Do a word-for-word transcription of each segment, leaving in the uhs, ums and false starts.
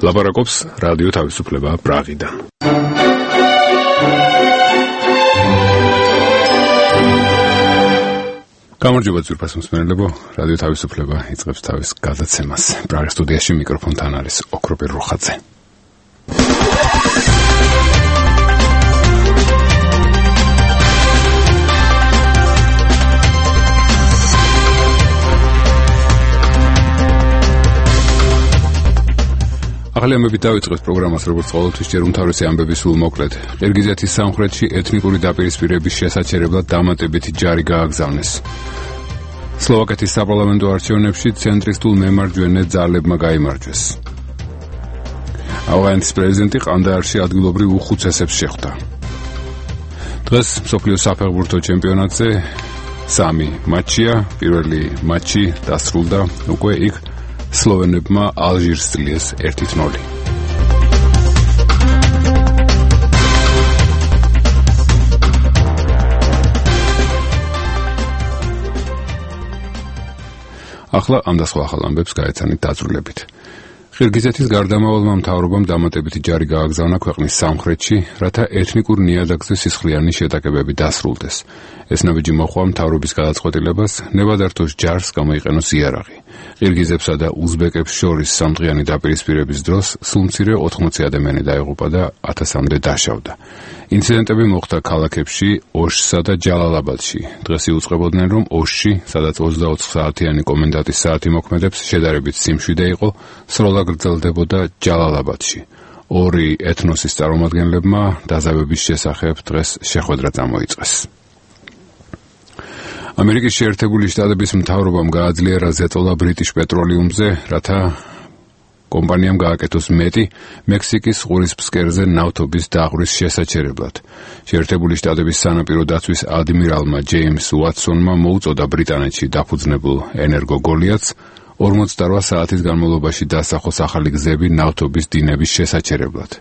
ლაპარაკობს რადიო თავისუფლება პრაღიდან. გამარჯობა ძვირფას მსმენელებო, რადიო თავისუფლება იწყებს თავის გადაცემას. პრაღის სტუდიაში მიკროფონთან არის ოქროპირ როხაძე. ახალი ამბებით დავიწყებთ პროგრამას, როგორც ყოველთვის ჯერ უმთავრესი ამბები სულ მოკლედ. ყირგიზეთის სამხრეთში ეთნიკური დაპირისპირების შესაჩერებლად დამატებითი ჯარი გააგზავნეს. სლოვაკეთის საპარლამენტო არჩევნებში ცენტრისტულ მემარჯვენე ძალებმა გაიმარჯვეს. ავღანეთის პრეზიდენტი ყანდაარში ადგილობრივ უხუცესებს შეხვდა. დღეს მსოფლიოს საფეხბურთო ჩემპიონატზე სამი მატჩია, პირველი მატჩი დასრულდა უკვე იქ სლოვენებმა ალჟირს წლიეს ერთი ნული. ახლა ამ და სხვა ახალ ამბებს გაეცანით დაწვრილებით. ყირგიზეთის გარდამავალმა მთავრობამ დამატებითი ჯარი გააგზავნა ქვეყნის სამხრეთში, რათა ეთნიკურ ნიადაგზე სისხლიანი შეტაკებები დასრულდეს. ეს ნაბიჯი მოჰყვა მთავრობის გადაწყვეტილებას ნებადართოს ჯარს გამოიყენოს იარაღი. ყირგიზებსა და უზბეკებს შორის სამდღიანი დაპირისპირების დროს სულ მცირე ოთხმოცი ადამიანი დაიღუპა და ათასამდე დაშავდა. ინციდენტები მოხდა ქალაქებში ოშსა და ჯალალაბადში. დღეს იუწყებოდნენ, რომ ოშში, სადაც ოცდაოთხ საათიანი კომენდანტის საათი მოქმედებს, შედარებით სიმშვიდე იყო, სროლა გრძელდებოდა ჯალალაბადში. ორი ეთნოსის წარმომადგენლებმა დაზავების შესახებ დღეს შეხვედრა წამოიწყეს. ამერიკის შეერთებული შტატების მთავრობამ გააძლიერა ზეწოლა ბრიტიშ პეტროლიუმზე, რათა კომპანიამ გააკეთოს მეტი მექსიკის ყურის ფსკერზე ნავთობის დაღვრის შესაჩერებლად. შეერთებული შტატების სანაპირო დაცვის ადმირალმა ჯეიმს უატსონმა მოუწოდა ბრიტანეთში დაფუძნებულ ენერგო გოლიათს ორმოცდარვა საათის განმავლობაში დასახოს ახალი გზები ნავთობის დინების შესაჩერებლად.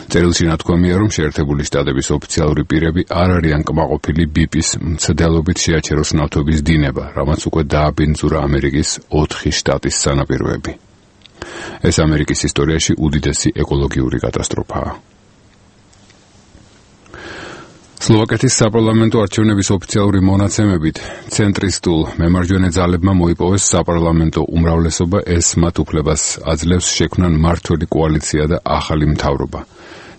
წერილში ნათქვამია, რომ შეერთებული შტატების ოფიციალური პირები არ არიან კმაყოფილი ბიპის მცდელობით შეაჩეროს ნავთობის დინება, რამაც უკვე დააბინძურა ამერიკის ოთხი შტატის სანაპიროები. ეს ამერიკის ისტორიაში უდიდესი ეკოლოგიური კატასტროფაა. სლოვაკეთის საპარლამენტო არჩევნების ოფიციალური მონაცემებით ცენტრისტულ მემარჯვენე ძალებმა მოიპოვეს საპარლამენტო უმრავლესობა, ეს მათ უფლებას აძლევს შექმნან მმართველი კოალიცია და ახალი მთავრობა.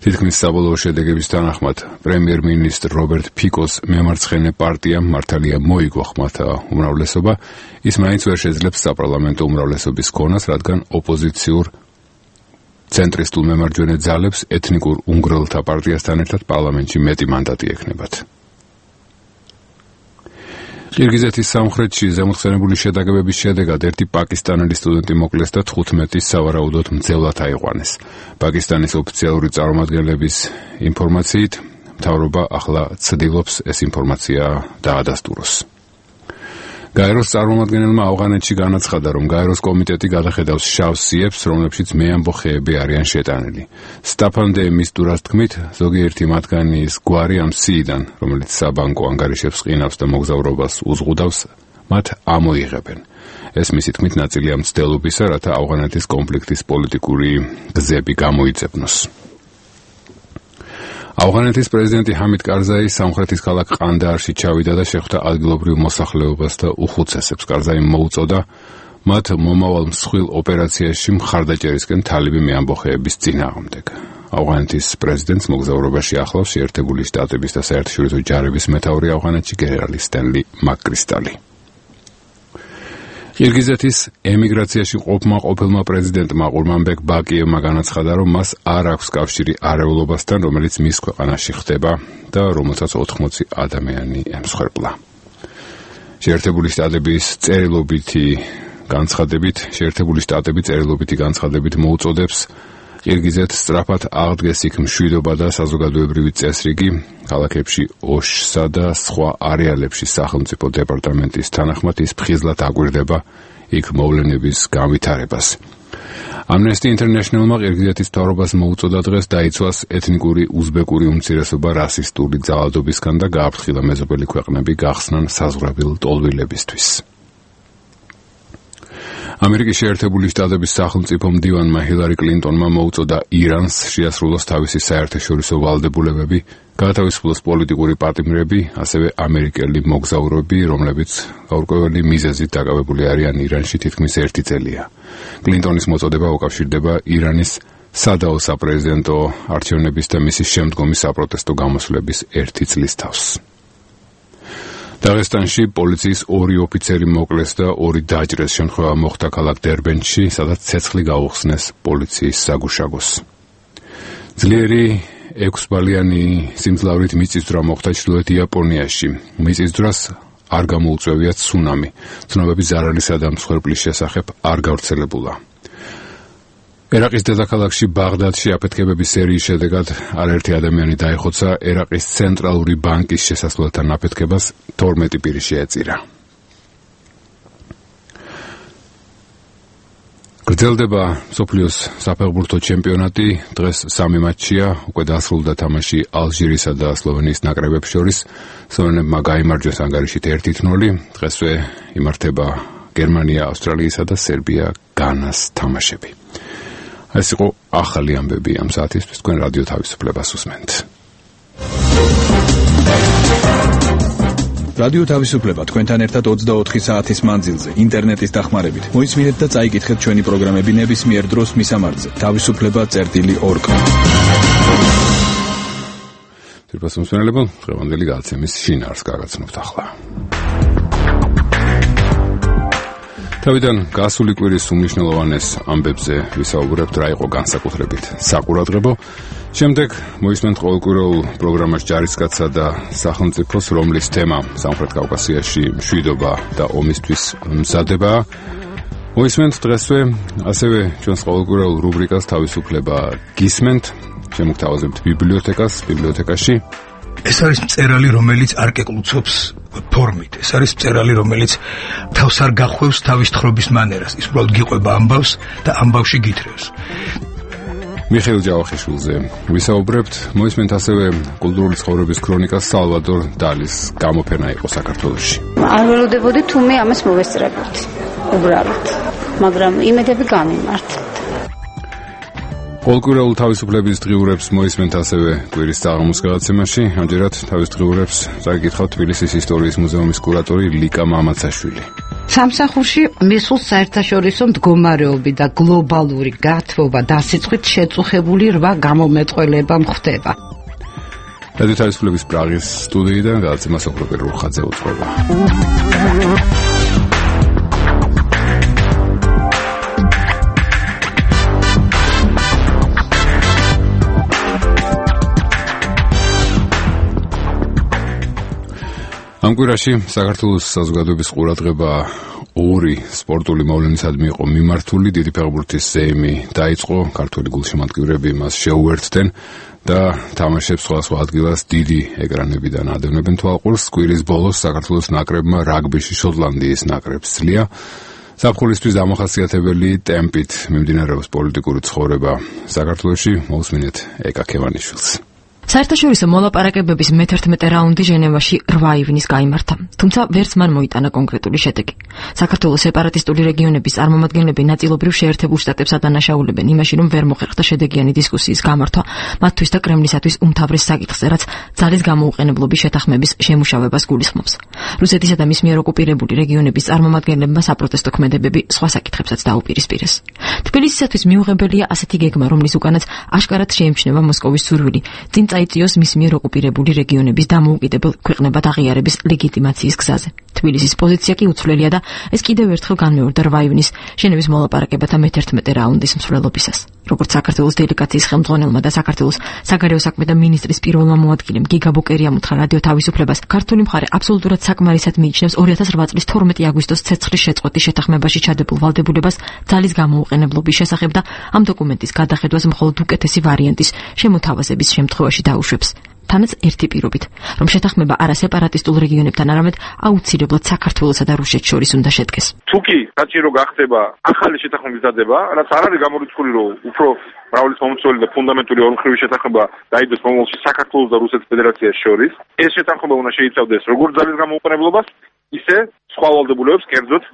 თითქმის საბოლოო შედეგების თანახმად პრემიერ-მინისტრ რობერტ ფიკოს მემარცხენე პარტიამ მართალია მოიგო ხმათა უმრავლესობა, ის მაინც ვერ შეძლებს საპარლამენტო უმრავლესობის ქონას, რადგან ოპოზიციურ ცენტრისტულ მემარჯვენე ძალებს ეთნიკურ უნგრელთა პარტიასთან ერთად პარლამენტში მეტი მანდატი ექნებათ. ყირგიზეთის სამხრეთში ზემოხსენებული შეტაკებების შედეგად ერთი პაკისტანელი სტუდენტი მოკლეს და თხუთმეტი სავარაუდოდ მძევლად აიყვანეს. პაკისტანის ოფიციალური წარმომადგენლების ინფორმაციით, მთავრობა ახლა ცდილობს ეს ინფორმაცია დაადასტუროს. გაეროს წარმომადგენელმა ავღანეთში განაცხადა, რომ გაეროს კომიტეტი გადახედავს შავ სიებს, რომლებშიც მეამბო ხეები არიან შეტანილი. სტაფან დე მისტურას თქმით, ზოგიერთი მათგანის გვარი ამ სიიდან, რომელიც საბანკო ანგარიშებს ყინავს და მოგზაურობას უზღუდავს, მათ ამოიღებენ. ეს მისი თქმით ნაწილია მცდელობისა, რათა ავღანეთის კონფლიქტის პოლიტიკური გზები გამოიძებნოს. ავღანეთის პრეზიდენტი ჰამიდ კარზაი სამხრეთის ქალაქ ყანდაარში ჩავიდა და შეხვდა ადგილობრივ მოსახლეობას და უხუცესებს. კარზაიმ მოუწოდა მათ მომავალ მსხვილ ოპერაციაში მხარდაჭერისკენ თალიბი მეამბოხეების წინააღმდეგ. ავღანეთის პრეზიდენტს მოგზაურობაში ახლავს შეერთებული შტატების და საერთაშორისო ჯარების მეთაური ავღანეთში გენერალი სტენლი მაკკრისტალი. ყირგიზეთის ემიგრაციაში ყოფმა ყოფილმა პრეზიდენტმა ყურმანბეკ ბაკიევმა განაცხადა, რომ მას არ აქვს კავშირი არეულობასთან, რომელიც მის ქვეყანაში ხდება და რომელსაც ოთხმოცი ადამიანი ემსხვერპლა. შეერთებული შტატების წერილობითი განცხადებით, შეერთებული შტატები წერილობითი განცხადებით მოუწოდებს ყირგიზეთს სწრაფად აღდგეს იქ მშვიდობა და საზოგადოებრივი წესრიგი, ქალაქებში ოშსა და სხვა არეალებში სახელმწიფო დეპარტამენტის თანახმად ის ფხიზლად აგვირდება იქ მოვლენების განვითარებას. Amnesty International-მა ყირგიზეთის მთავრობას მოუწოდა დღეს დაიცვას ეთნიკური უზბეკური უმცირესობა რასისტული ძალადობისგან და გააფრთხილა მეზობელი ქვეყნები გახსნან საზღვრებილ ტოლვილებისთვის. ამერიკის შეერთებული შტატების სახელმწიფო მდივანმა ჰილარი კლინტონმა მოუწოდა ირანს შეასრულოს თავისი საერთაშორისო ვალდებულებები, გაათავისუფლოს პოლიტიკური პატიმრები, ასევე ამერიკელი მოგზაურები, რომლებიც გაურკვეველი მიზეზით დაკავებული არიან ირანში თითქმის ერთი წელია. კლინტონის მოწოდება უკავშირდება ირანის სადაო საპრეზიდენტო არჩევნების და მისი შემდგომი საპროტესტო გამოსვლების ერთი წლის თავს. დაღესტანში პოლიციის ორი ოფიცერი მოკლეს და ორი დაჭრეს. შემთხვევა მოხდა ქალაქ დერბენში, სადაც ცეცხლი გაუხსნეს პოლიციის საგუშაგოს. ძლიერი ექვსბალიანი სიმძლავრით მიწისძვრა მოხდა ჩრდილოეთ იაპონიაში. მიწისძვრას არ გამოუწვევია ცუნამი. ცნობები ზარალისა და მსხვერპლის შესახებ არ გავრცელებულა. ერაყის დედაქალაქში ბაღდადში აფეთქებების სერიის შედეგად არაერთი ადამიანი დაიხოცა. ერაყის ცენტრალური ბანკის შესასვლელთან აფეთქებას თორმეტი პირი შეეწირა. გრძელდება მსოფლიოს საფეხბურთო ჩემპიონატი. დღეს სამი მატჩია, უკვე დასრულდა თამაში ალჟირისა და სლოვენიის ნაკრებებს შორის. სლოვენებმა გაიმარჯვეს ანგარიშით ერთ ნული. დღესვე იმართება გერმანია, ავსტრალიისა და სერბია განას თამაშები. ეს იყო ახალი ამბები ამ საათისთვის, თქვენ რადიო თავისუფლებას უსმენთ. რადიო თავისუფლება თქვენთან ერთად ოცდაოთხი საათის მანძილზე, ინტერნეტის დახმარებით. მოისმინეთ და წაიკითხეთ ჩვენი პროგრამები ნებისმიერ დროს მისამართზე. თავისუფლება წერტილი ორ. თირფას მსმენელებო, დღევანდელი გადაცემის შინაარსს გაგაცნობთ ახლა. თავიდან გასული კვირის უმნიშვნელოვანეს ამბებზე ვისაუბრებთ, რა იყო განსაკუთრებით საყურადღებო. შემდეგ მოისმენთ ყოველკვირეულ პროგრამაში ჯარისკაცსა და სახელმწიფოს, რომლის თემა სამხრეთ კავკასიაში მშვიდობა და ომისთვის მზადებაა. მოისმენთ დღესვე ასევე ჩვენს ყოველკვირეულ რუბრიკას თავისუფლება გისმენთ. შემოგთავაზებთ ბიბლიოთეკას, ბიბლიოთეკაში. ეს არის მწერალი, რომელიც არ კეკლუცობს ფორმით. ეს არის მწერალი, რომელიც თავს არ გახვევს თავის თხრობის მანერას. ის უბრალოდ გიყვება ამბავს და ამბავში გითხრევს. მიხეილ ჯავახიშვილზე ვისაუბრებთ. მოისმენთ ასევე კულტურული ცხოვრების ქრონიკას სალვადორ დალის გამოფენა იყო საქართველოში. არ ველოდებოდი თუ მე ამას მოვესწრებოდი უბრალოდ, მაგრამ იმედები გამიმართა. ყოველკვირეულ თავისუფლების დღიურებს მოისმენთ ასევე კვირის საღამოს გადაცემაში. ამჯერად თავის დღიურებს წაიკითხავთ თბილისის ისტორიის მუზეუმის კურატორი ლიკა მამაცაშვილი. სამსახურში მისულ საერთაშორისო მდგომარეობი და გლობალური გათბობა დასიწყით შეწუხებული რვა გამომეტყველება მხდება. რადიო თავისუფლების პრაღის სტუდიიდან გადაცემა სოფროპერ რუხაძე უძღვება. ამ კვირაში საქართველოს საზოგადოების ყურადღება ორი სპორტული მოვლენისადმი იყო მიმართული. დიდი ფეხბურთის ზეიმი დაიწყო, ქართველი გულშემატკივრები მას შეუერთდნენ და თამაშებს სხვადასხვა ადგილას დიდი ეკრანებიდან ადევნებენ თვალყურს. კვირის ბოლოს საქართველოს ნაკრებმა რაგბიში შოტლანდიის ნაკრებს სძლია. ზაფხულისთვის დამახასიათებელი ტემპით მიმდინარეობს პოლიტიკური ცხოვრება საქართველოში. მოусმინეთ ეკა ქევანიშვილს. საერთაშორისო მოლაპარაკებების მეთერთმეტე რაუნდი ჟენევაში რვა ივნის გაიმართა, თუმცა ვერც მან მოიტანა კონკრეტული შედეგი. საქართველოს სეპარატისტული რეგიონების წარმომადგენლები ნაწილობრივ შეერთებულ შტატებს ადანაშაულებენ იმაში, რომ ვერ მოხერხდა შედეგიანი დისკუსიის გამართვა მათთვის და კრემლისათვის უმთავრეს საკითხზე, რაც ძალის გამოუყენებლობის შეთანხმების შემუშავებას გულისხმობს. რუსეთისა და მის მიერ ოკუპირებული რეგიონების წარმომადგენლებმა საპროტესტო ქმედებები სხვა საკითხებსაც დაუპირისპირეს. თბილისისათვის მიუღებელია ასეთი გეგმა, რომლის უკანაც აშკარად შეემჩნევა მოსკოვის სურვილი წინ წაიწიოს მის მიერ ოკუპირებული რეგიონების დამოუკიდებელ ქვეყნებად აღიარების ლეგიტიმაციის გზაზე. თბილისის პოზიცია კი უცვლელია და ეს კიდევ ერთხელ განმეორდა რვა ივნის ჟენევის მოლაპარაკებათა მეთერთმეტე რაუნდის მსვლელობისას. როგორც საქართველოს დელეგაციის ხელმძღვანელმა და საქართველოს საგარეო საქმეთა მინისტრის პირველმა მოადგილემ გიგა ბოკერიამ უთხრა რადიო თავისუფლებას, ქართული მხარე აბსოლუტურად საკმარისად მიიჩნევს ორი ათას რვა წლის თორმეტი აგვისტოს ცეცხლის შეწყვეტის შეთანხმებაში ჩადებულ ვალდებულებას ძალის გამოუყენებლობის შესახებ და ამ დოკუმენტის გადახედვას მხოლოდ უკეთესი ვარიანტის შემოთავაზების შემთხვევაში დაუშვებს. თანაც ერთი პირობით, რომ შეთანხმება არა სეპარატისტულ რეგიონებთან, არამედ აუცილებლად საქართველოსა და რუსეთს შორის უნდა შედგეს. თუ კი საჭირო გახდება ახალი შეთანხმების დადება, რაც არ არის გამორიცხული, რომ უფრო მრავლის მომცველი და ფუნდამენტური ორმხრივი შეთანხმება დაიდეს მომავალში საქართველოს და რუსეთის ფედერაციას შორის, ეს შეთანხმება უნდა შეიცავდეს როგორც ძალის გამოუყენებლობას, ისე სხვა ვალდებულებებს კერძოდ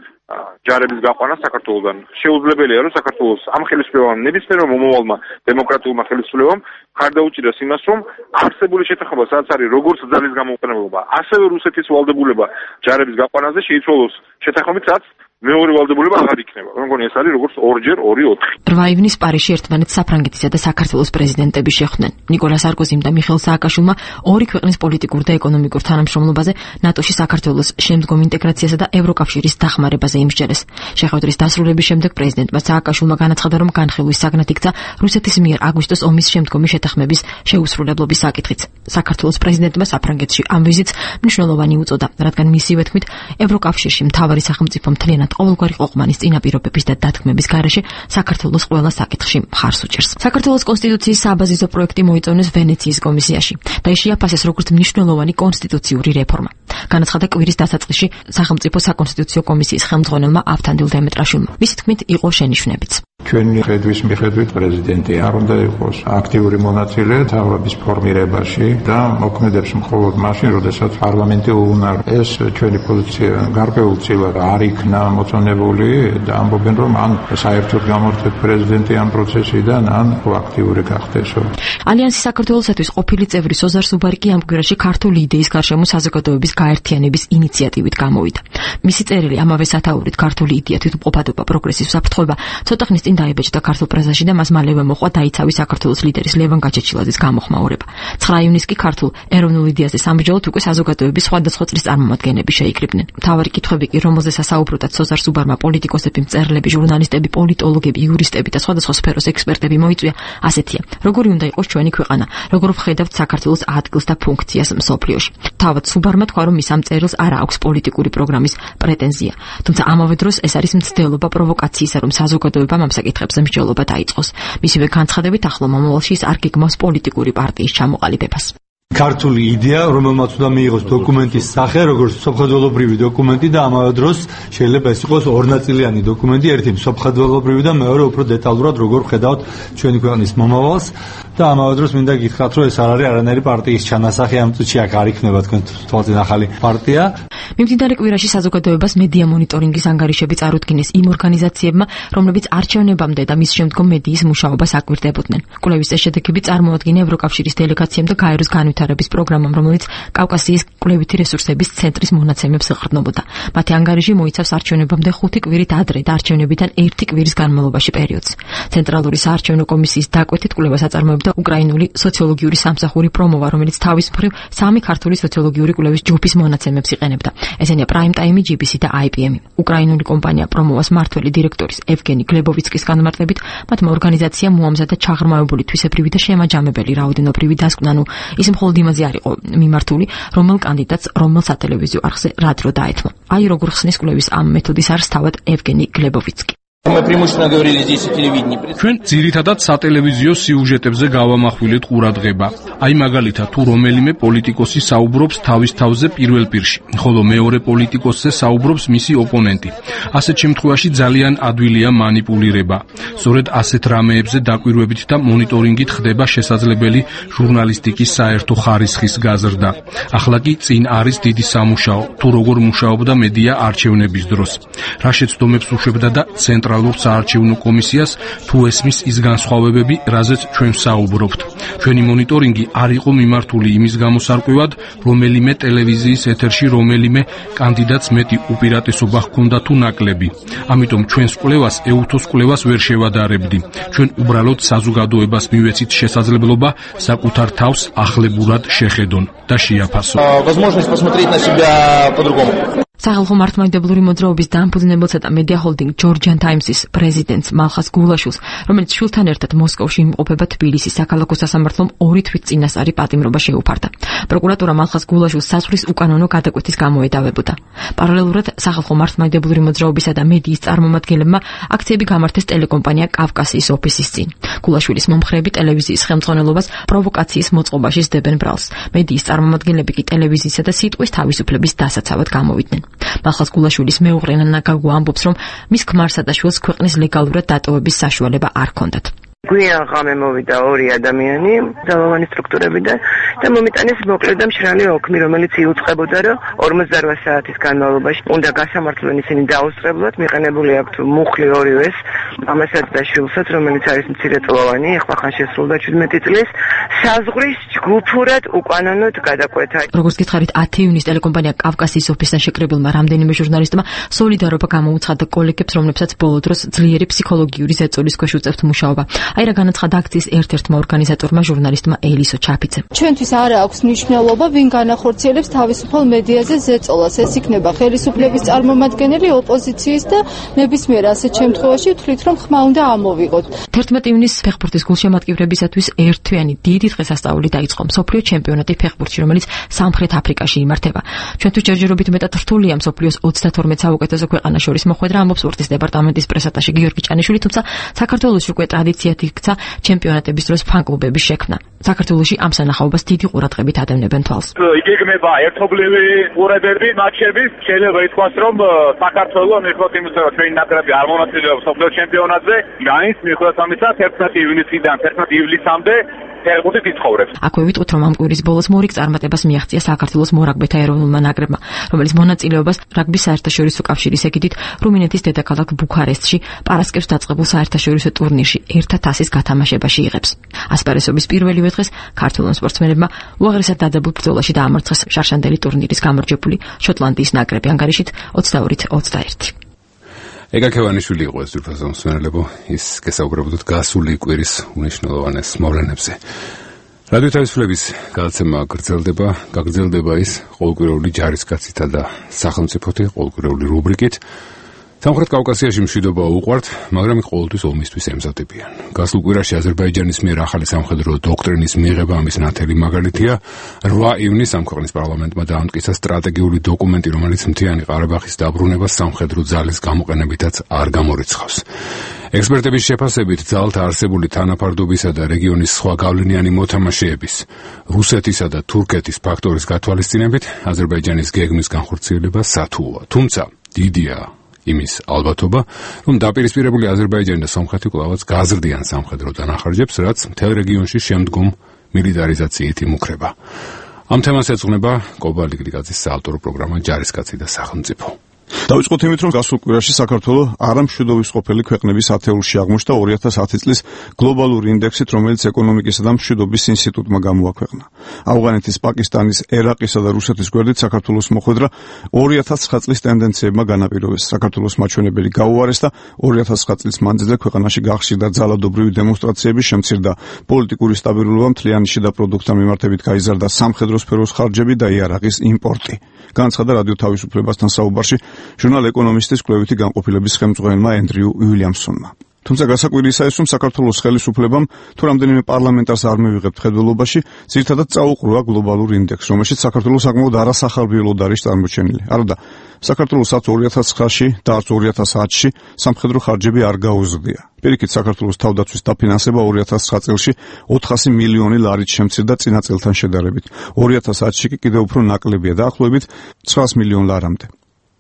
ჯარების გაყვანა საქართველოსგან. შეუძლებელია, რომ საქართველოს ამ ხელისუფლებამ ნებისმიერმა მომავალმა დემოკრატიულმა ხელისუფლებამ ხარ დაუჭიროს იმას, რომ არსებული შეთანხმება, სადაც არის როგორც ძალის გამოყენება, ასევე რუსეთის ვალდებულება ჯარების გაყვანაზე შეიცვალოს შეთანხმებით, სადაც მეორე ვალდებულება აღარ იქნება. მე მგონი ეს არის როგორც ორჯერ ორი ოთხი. რვა ივნისს პარიზში ერთმანეთს საფრანგეთისა და საქართველოს პრეზიდენტები შეხვდნენ. ნიკოლა სარკოზიმ და მიხეილ სააკაშვილმა ორი ქვეყნის პოლიტიკურ და ეკონომიკურ თანამშრომლობაზე, ნატოში საქართველოს შემდგომ ინტეგრაციასა და ევროკავშირის დახმარებაზე იმსჯელეს. შეხვედრის დასრულების შემდეგ პრეზიდენტმა სააკაშვილმა განაცხადა, რომ განხილვის საგნად იქცა რუსეთის მიერ აგვისტოს ომის შემდგომი შეთანხმების შეუსრულებლობის საკითხიც. საქართველოს პრეზიდენტმა საფრანგეთში ამ ვიზიტს მნიშვნელოვანი უწოდა, რადგან მისივე თქმით, ევროკავშირში მთავარი სახელმწიფო მთლიანად ყოველგვარი ყოყმანის წინაპირობების და დათქმების გარეშე საქართველოს ყველა საკითხში მხარს უჭერს. საქართველოს კონსტიტუციის საბაზისო პროექტი მოიწონეს ვენეციის კომისიაში და ის შეაფასეს როგორც მნიშვნელოვანი კონსტიტუციური რეფორმა. განაცხადა კვირის დასაწყისში სახელმწიფო საკონსტიტუციო კომისიის ხელმძღვანელმა ავთანდილ დემეტრაშვილმა. მისი თქმით, იყო შენიშვნებიც. ჩვენი ხედვის მიხედვით პრეზიდენტი არ უნდა იყოს აქტიური მონაწილე თავრობის ფორმირებაში და მოქმედებს მხოლოდ მაშინ, როდესაც პარლამენტი უუნარ. ეს ჩვენი პოზიცია გარკვეულწილად არ იქნა მოწონებული და ამბობენ, რომ ან საერთოდ გამორჩეთ პრეზიდენტი ამ პროცესიდან, ან აქტიური გახდესო. ალიანსი საქართველოსათვის ყოფილი წევრი სოზარ სუბარიკი ამ კვირაში ქართული იდეის გარშემო საზოგადოების გაერთიანების ინიციატივით გამოვიდა. მისი წერილი ამავე სათაურით ქართული იდეა თვითმყოფადობა პროგრესის საფრთხება ცოტა ხნის წინ დაიბეჭდა ქართულ პრესაში და მას მალევე მოყვა დაიცავი საქართველოს ლიდერის ლევან გაჩეჩილაძის გამოხმაურება. ცხრა ივნისს კი ქართულ ეროვნულ იდეაზე სამბრძოლოდ უკვე საზოგადოების სხვადასხვა წრის წარმომადგენლები შეიკრიბნენ. მთავარი კითხვები კი, რომელზეც ასაუბროთ სოზარ სუბარმა, პოლიტიკოსები, მწერლები, ჟურნალისტები, პოლიტოლოგები, იურისტები და სხვადასხვა სფეროს ექსპერტები მოიწვია, ასეთია: როგორი უნდა იყოს ჩვენი ქვეყანა, როგორ ვხედავთ საქართველოს ადგილს და ფუნქციას მსოფლიოში. თავად სუბარმა თქვა, რომ მის ამ წერილს არ აქვს პოლიტიკური პროგრამის პრეტენზია. თუმცა ამავე დროს ეს არის მცდელობა პროვოკაციისა, რომ საზოგადოებამ ამ საკითხებზე მსჯელობა დაიწყოს. მისივე განცხადებით, ახლო მომავალში ის არ გეგმავს პოლიტიკური პარტიის ჩამოყალიბებას. ქართული იდეა, რომელმაც უნდა მიიღოს დოკუმენტის სახე, როგორც სოფხდველობრივი დოკუმენტი და ამავე დროს შეიძლება ეს იყოს ორნაწილიანი დოკუმენტი, ერთი სოფხდველობრივი და მეორე უფრო დეტალურად როგორ ხედავთ ჩვენი ქვეყნის მომავალს და ამავე დროს მინდა გითხრათ, რომ ეს არ არის არანაირი პარტიის ჩანასახი, ამ წუთში აქ არ იქნება თქვენ თვალწინ ახალი პარტია. მიმდინარე კვირაში საზოგადოებას მედია მონიტორინგის ანგარიშები წარუდგინეს იმ ორგანიზაციებმა, რომლებიც არჩევნებამდე და მის შემდგომ მედიის მუშაობას აკვირდებოდნენ. კვლევის ეს შედეგები წარმოადგინა ევროკავშირის დელეგაციამ და გაეროს განვითარების პროგრამამ, რომელიც კავკასიის კვლევითი რესურსების ცენტრის მონაცემებს ეყრდნობოდა. მათი ანგარიში მოიცავს არჩევნებამდე ხუთი კვირით ადრე და არჩევნებიდან ერთი კვირის განმავლობაში პერიოდს. ცენტრალური საარჩევნო კომისიის დაკვეთით კვლევას აწარმოებდა უკრაინული სოციოლოგიური სამსახური პრომოვა, რომელიც თავის მხრივ სამი ქართული სოციოლოგიური კვლევის ჯგუფის მონაცემებს იყენებდა. ესენია Prime Time, G B C და I P M. უკრაინული კომპანია პრომოვას მმართველი დირექტორის ევგენი გლებოვიცკის განმარტებით, მათმა ორგანიზაციამ მოამზადა ჩაღრმავებული თვისებრივი და შემაჯამებელი რაოდენობრივი დასკვნა, ნუ ის მხოლოდ იმაზე არ იყო მიმართული, რომელ კანდიდატს რომელ სატელევიზიო არხზე რა დრო დაეთმო. აი როგორ ხსნის კვლევის ამ მეთოდის არს თავად ევგენი გლებოვიცკი. ჩვენ ძირითადად სატელევიზიო სიუჟეტებზე გავამახვილეთ ყურადღება. აი მაგალითად, თუ რომელიმე პოლიტიკოსი საუბრობს თავის თავზე პირველ პირში, ხოლო მეორე პოლიტიკოსზე საუბრობს მისი ოპონენტი. ასეთ შემთხვევაში ძალიან ადვილია манипуლირება. სწორედ ასეთ რამეებზე დაკვირვებით და მონიტორინგით ხდება შესაძლებელი ჟურნალისტიკის საერთო ხარისხის გაზრდა. ახლა კი წინ არის დიდი სამუშაო, თუ როგორ მუშაობდა მედია არჩევნების დროს. რა შეცდომებს უშვებდა და ცენტრ ცენტრალურ საარჩევნო კომისიას თუ ესმის ის განსხვავებები, რაზეც ჩვენ საუბრობთ. ჩვენი მონიტორინგი არ იყო მიმართული იმის გამოსარკვევად, რომელიმე ტელევიზიის ეთერში რომელიმე კანდიდატს მეტი უპირატესობა ჰქონდა თუ ნაკლები. ამიტომ ჩვენს კვლევას ეუთოს კვლევას ვერ შევადარებდი. ჩვენ უბრალოდ საზოგადოებას მივეცით შესაძლებლობა საკუთარ თავს ახლებურად შეხედონ და შეაფასონ. სახალხო მართლმადიდებლური მოძრაობის დამფუძნებელსა და მედია ჰოლდინგ ჯორჯიან ტაიმსის პრეზიდენტს მალხას გულაშვილს, რომელიც შვილთან ერთად მოსკოვში იმყოფება თბილისის საქალაქო სასამართლომ ორი თვით წინასწარი პატიმრობა შეუფარდა. პროკურატურა მალხას გულაშვილს საზღვრის უკანონო გადაკვეთის გამო ედავებოდა. პარალელურად სახალხო მართლმადიდებლური მოძრაობისა და მედიის წარმომადგენლებმა აქციები გამართეს ტელეკომპანია კავკასიის ოფისის წინ. გულაშვილის მომხრეები ტელევიზიის ხელმძღვანელობას პროვოკაციის მოწყობაში სდებენ ბრალს. მედიის წარმომადგენლები კი ტელევიზიისა და სიტყვის თავისუფლების დასაცავად გამოვიდნენ. მალხას გულაშვილის მეუღლე ნანა გაგუ ამბობს, რომ მის ქმარსა და შვილს ქვეყნის ლეგალურად დატოვების საშუალება არ ჰქონდათ. გვიან ღამე მოვიდა ორი ადამიანი ძალოვანი სტრუქტურებიდან და მომიტანეს მოკლედ და მშრალი ოქმი, რომელიც იუწყებოდა, რომ ორმოცდაოთხ საათის განმავლობაში უნდა გასამართლონ ისინი დაუსწრებლად, მიყენებული აქვთ მუხლი ორივეს, მამასაც და შვილსაც, რომელიც არის მცირეწლოვანი, ახლა ხან შესრულდა ჩვიდმეტი წლის, საზღვრის ჯგუფურად უკანონოდ გადაკვეთა. როგორც გითხარით, ათი ივნისს ტელეკომპანია კავკასიის ოფისთან შეკრებილმა რამდენიმე ჟურნალისტმა სოლიდარობა გამოუცხადა კოლეგებს, რომლებსაც ბოლო დროს ძლიერი ფსიქოლოგიური ზეწოლის ქვეშ უწევთ მუშაობა. აი რა განაცხადა აქციის ერთ-ერთმა ორგანიზატორმა ჟურნალისტმა ელისო ჩაფიცემ. ჩვენთვის არ აქვს მნიშვნელობა, ვინ განახორციელებს თავისუფალ მედიაზე ზეწოლას. ეს იქნება ხელისუფლების წარმომადგენელი, ოპოზიციის და ნებისმიერ ასეთ შემთხვევაში ვთვლით, რომ ხმა უნდა ამოვიღოთ. თერთმეტი ივნისს ფეხბურთის გულშემატკივრებისათვის ერთთვიანი დიდი დღესასწაული დაიწყო მსოფლიო ჩემპიონატი ფეხბურთში, რომელიც სამხრეთ აფრიკაში იმართება. ჩვენთვის ჯერჯერობით მეტად რთულია მსოფლიოს ოცდათორმეტ საუკეთესო ქვეყანას შორის მოხვედრა, ამბობს სპორტის დეპარტამენტის პრესატაში გიორგი ჭანიშვილი, თუმცა საქართველოს უკვე ტრადიციად იქცა ჩემპიონატების დროს ფან-კლუბების შექმნა. საქართველოში ამ სანახაობას დიდი ყურადღებით ადევნებენ თვალს. იგეგმება ერთობლივი ყურადღები მატჩების, შეიძლება ითქვას, რომ საქართველო მიუხედავად იმისა, რომ ჩვენი ნაკრები არ მონაწილეობს მსოფლიო ჩემპიონატზე, განის მიუხედავად ამისა თერთმეტი ივნისიდან თერთმეტი ივლისამდე ფეხბურთით იცხოვრებს. აქვე ვიტყვით, რომ ამ კვირის ბოლოს მორიგ წარმატებას მიაღწია საქართველოს მორაგბეთა ეროვნულმა ნაკრებმა, რომელიც მონაწილეობას რაგბის საერთაშორისო კავშირის ეგიდით რუმინეთის დედაქალაქ ბუქარესტში პარასკევს დაწყებულ საერთაშორისო ტურნირში ერთად ასის გათამაშებაში იღებს. ასპარესობის პირველივე დღეს ქართველ სპორტსმენებმა უაღრესად დადებულ ბრძოლაში დაამარცხეს შარშანდელი ტურნირის გამარჯვებული შოტლანდიის ნაკრები ანგარიშით ოცდაორით ოცდაერთი. ეგა ქევანიშვილი იყო ეს ძვირფასო მსმენელებო, ის გესაუბრებოდათ გასული კვირის უნიშნელოვანეს მოვლენებზე. რადიო თავისუფლების გადაცემა გრძელდება, გაგრძელდება ის ყოველკვირეული ჯარისკაცითა და სახელმწიფოთი ყოველკვირეული რუბრიკით. სამხრეთ კავკასიაში მშვიდობა უყვართ, მაგრამ იქ ყოველთვის ომისთვის ემზადებიან. გასულ კვირაში აზერბაიჯანის მიერ ახალი სამხედრო დოქტრინის მიღება ამის ნათელი მაგალითია. რვა ივნისს ამ ქვეყნის პარლამენტმა დაამტკიცა სტრატეგიული დოკუმენტი, რომელიც მთიანი ყარაბაღის დაბრუნებას სამხედრო ძალის გამოყენებითაც არ გამორიცხავს. ექსპერტების შეფასებით ძალთა არსებული თანაფარდობისა და რეგიონის სხვა გავლენიანი მოთამაშეების, რუსეთისა და თურქეთის ფაქტორის გათვალისწინებით აზერბაიჯანის გეგმის განხორციელება სათუოა. თუმცა დიდია იმის ალბათობა, რომ დაპირისპირებული აზერბაიჯანი და სომხეთი კვლავაც გაზრდიან სამხედრო დანახარჯებს, რაც მთელ რეგიონში შემდგომ მილიტარიზაციით იმუქრება. ამ თემას ეძღვნება კობა ლიგრიგაძის საავტორო პროგრამა ჯარისკაცი და სახელმწიფო. დავიწყოთ იმით, რომ გასულ კვირაში საქართველო არამშვიდობის ყოფილი ქვეყნების ათეულში აღმოჩნდა ორი ათას ათი წლის გლობალური ინდექსით, რომელიც ეკონომიკისა და მშვიდობის ინსტიტუტმა გამოაქვეყნა. ავღანეთის, პაკისტანის, ერაყისა და რუსეთის გვერდით საქართველოს მოხვედრა ორი ათას ცხრა წლის ტენდენციებმა განაპირობეს. საქართველოს მაჩვენებელი გაუარეს და ორი ათას ცხრა წლის მანძილზე ქვეყანაში გახშირდა ძალადობრივი დემონსტრაციები, შემცირდა პოლიტიკური სტაბილურობა, მთლიანი შიდა პროდუქტთან მიმართებით გაიზარდა სამხედრო სფეროს ხარჯები და იარაღის იმპორტი. განაცხადა რადიო თავისუფლებასთან საუბარში ჟურნალ ეკონომისტის კვლევითი განყოფილების ხელმძღვანელმა ენდრიუ უილიამსონმა. თუმცა გასაკვირისა ის, რომ საქართველოს ხელისუფლებამ თუ რამდენიმე პარლამენტარს არ მივიღებთ ხედველობაში, ძირითადად წაუყრუა გლობალურ ინდექსს, რომელშიც საქართველო საკმაოდ არასახარბიელოდ არის წარმოჩენილი. არადა, საქართველოსაც ორი ათას ცხრაში და არც ორი ათას ათში სამხედრო ხარჯები არ გაუზრდია. პირიქით, საქართველოს თავდაცვის დაფინანსება ორი ათას ცხრა წელში ოთხასი მილიონი ლარით შემცირდა წინა წელთან შედარებით. ორი ათას ათში კი კიდევ უფრო ნაკლებია, დაახლოებით ცხრაას მილიონ ლარამდე.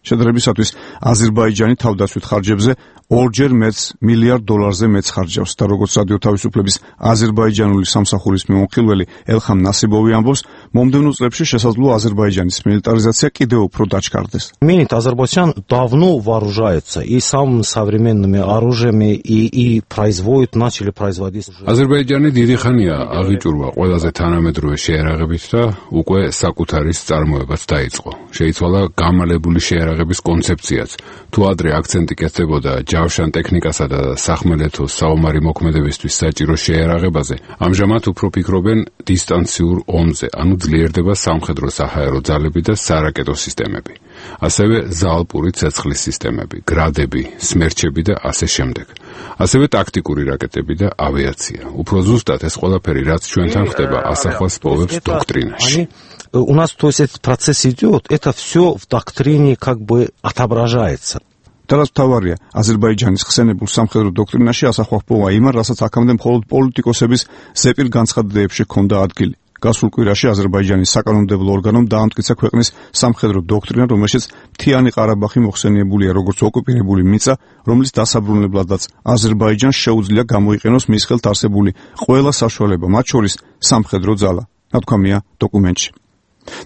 შედარებისათვის აზერბაიჯანი თავდაცვით ხარჯებზე ორჯერ მეც მილიარდ დოლარზე მეც ხარჯავს და როგორც რადიო თავისუფლების აზერბაიჯანული სამსახურის მიმოხილველი ელხამ ნასიბოვი ამბობს, მომდევნო წლებში შესაძლოა აზერბაიჯანის მილიტარიზაცია კიდევ უფრო დაჩქარდეს. Минит Азербайджан давно вооружается и самыми современными оружиями и и производит, начали производить. აზერბაიჯანი დიდი ხანია აღიჭურვა ყველაზე თანამედროვე შეერაღებით და უკვე საკუთარი წარმოებაც დაიწყო. შეიცვალა გამალებული შეერაღების კონცეფციაც. თუ ადრე აქცენტი კეთდებოდა ჯავშან ტექნიკასა და სახმელეთო საომარი მოქმედებისთვის საჭირო შეერაღებაზე, ამჟამად უფრო ფიქრობენ დისტანციურ ომზე, ანუ ძლიერდება სამხედრო საჰაერო ძალები და სარაკეტო სისტემები. ასევე ზალპური ცეცხლის სისტემები, გრადები, სმერჩები და ასე შემდეგ. ასევე ტაქტიკური რაკეტები და ავიაცია. უფრო ზუსტად ეს ყველაფერი, რაც ჩვენთან ხდება, ასახვას პოვებს დოქტრინაში. У нас, то есть, этот процесс идет, это все в доктрине как бы отображается. Teraz თავარია აზერბაიჯანის ხსენებულ სამხედრო დოქტრინაში ასახვა ჰპოვა იმან, რასაც აქამდე მხოლოდ პოლიტიკოსების ზეპირ განცხადდეებში ჰქონდა ადგილი. გასულ კვირაში აზერბაიჯანის საკანონმდებლო ორგანომ დაამტკიცა ქვეყნის სამხედრო დოქტრინა, რომელშიც მთიანი ყარაბაღი მოხსენიებულია როგორც ოკუპირებული მიწა, რომლის დასაბრუნებლადაც აზერბაიჯანს შეუძლია გამოიყენოს მის ხელთ არსებული ყველა საშუალება, მათ შორის სამხედრო ძალა. ნათქვამია დოკუმენტში.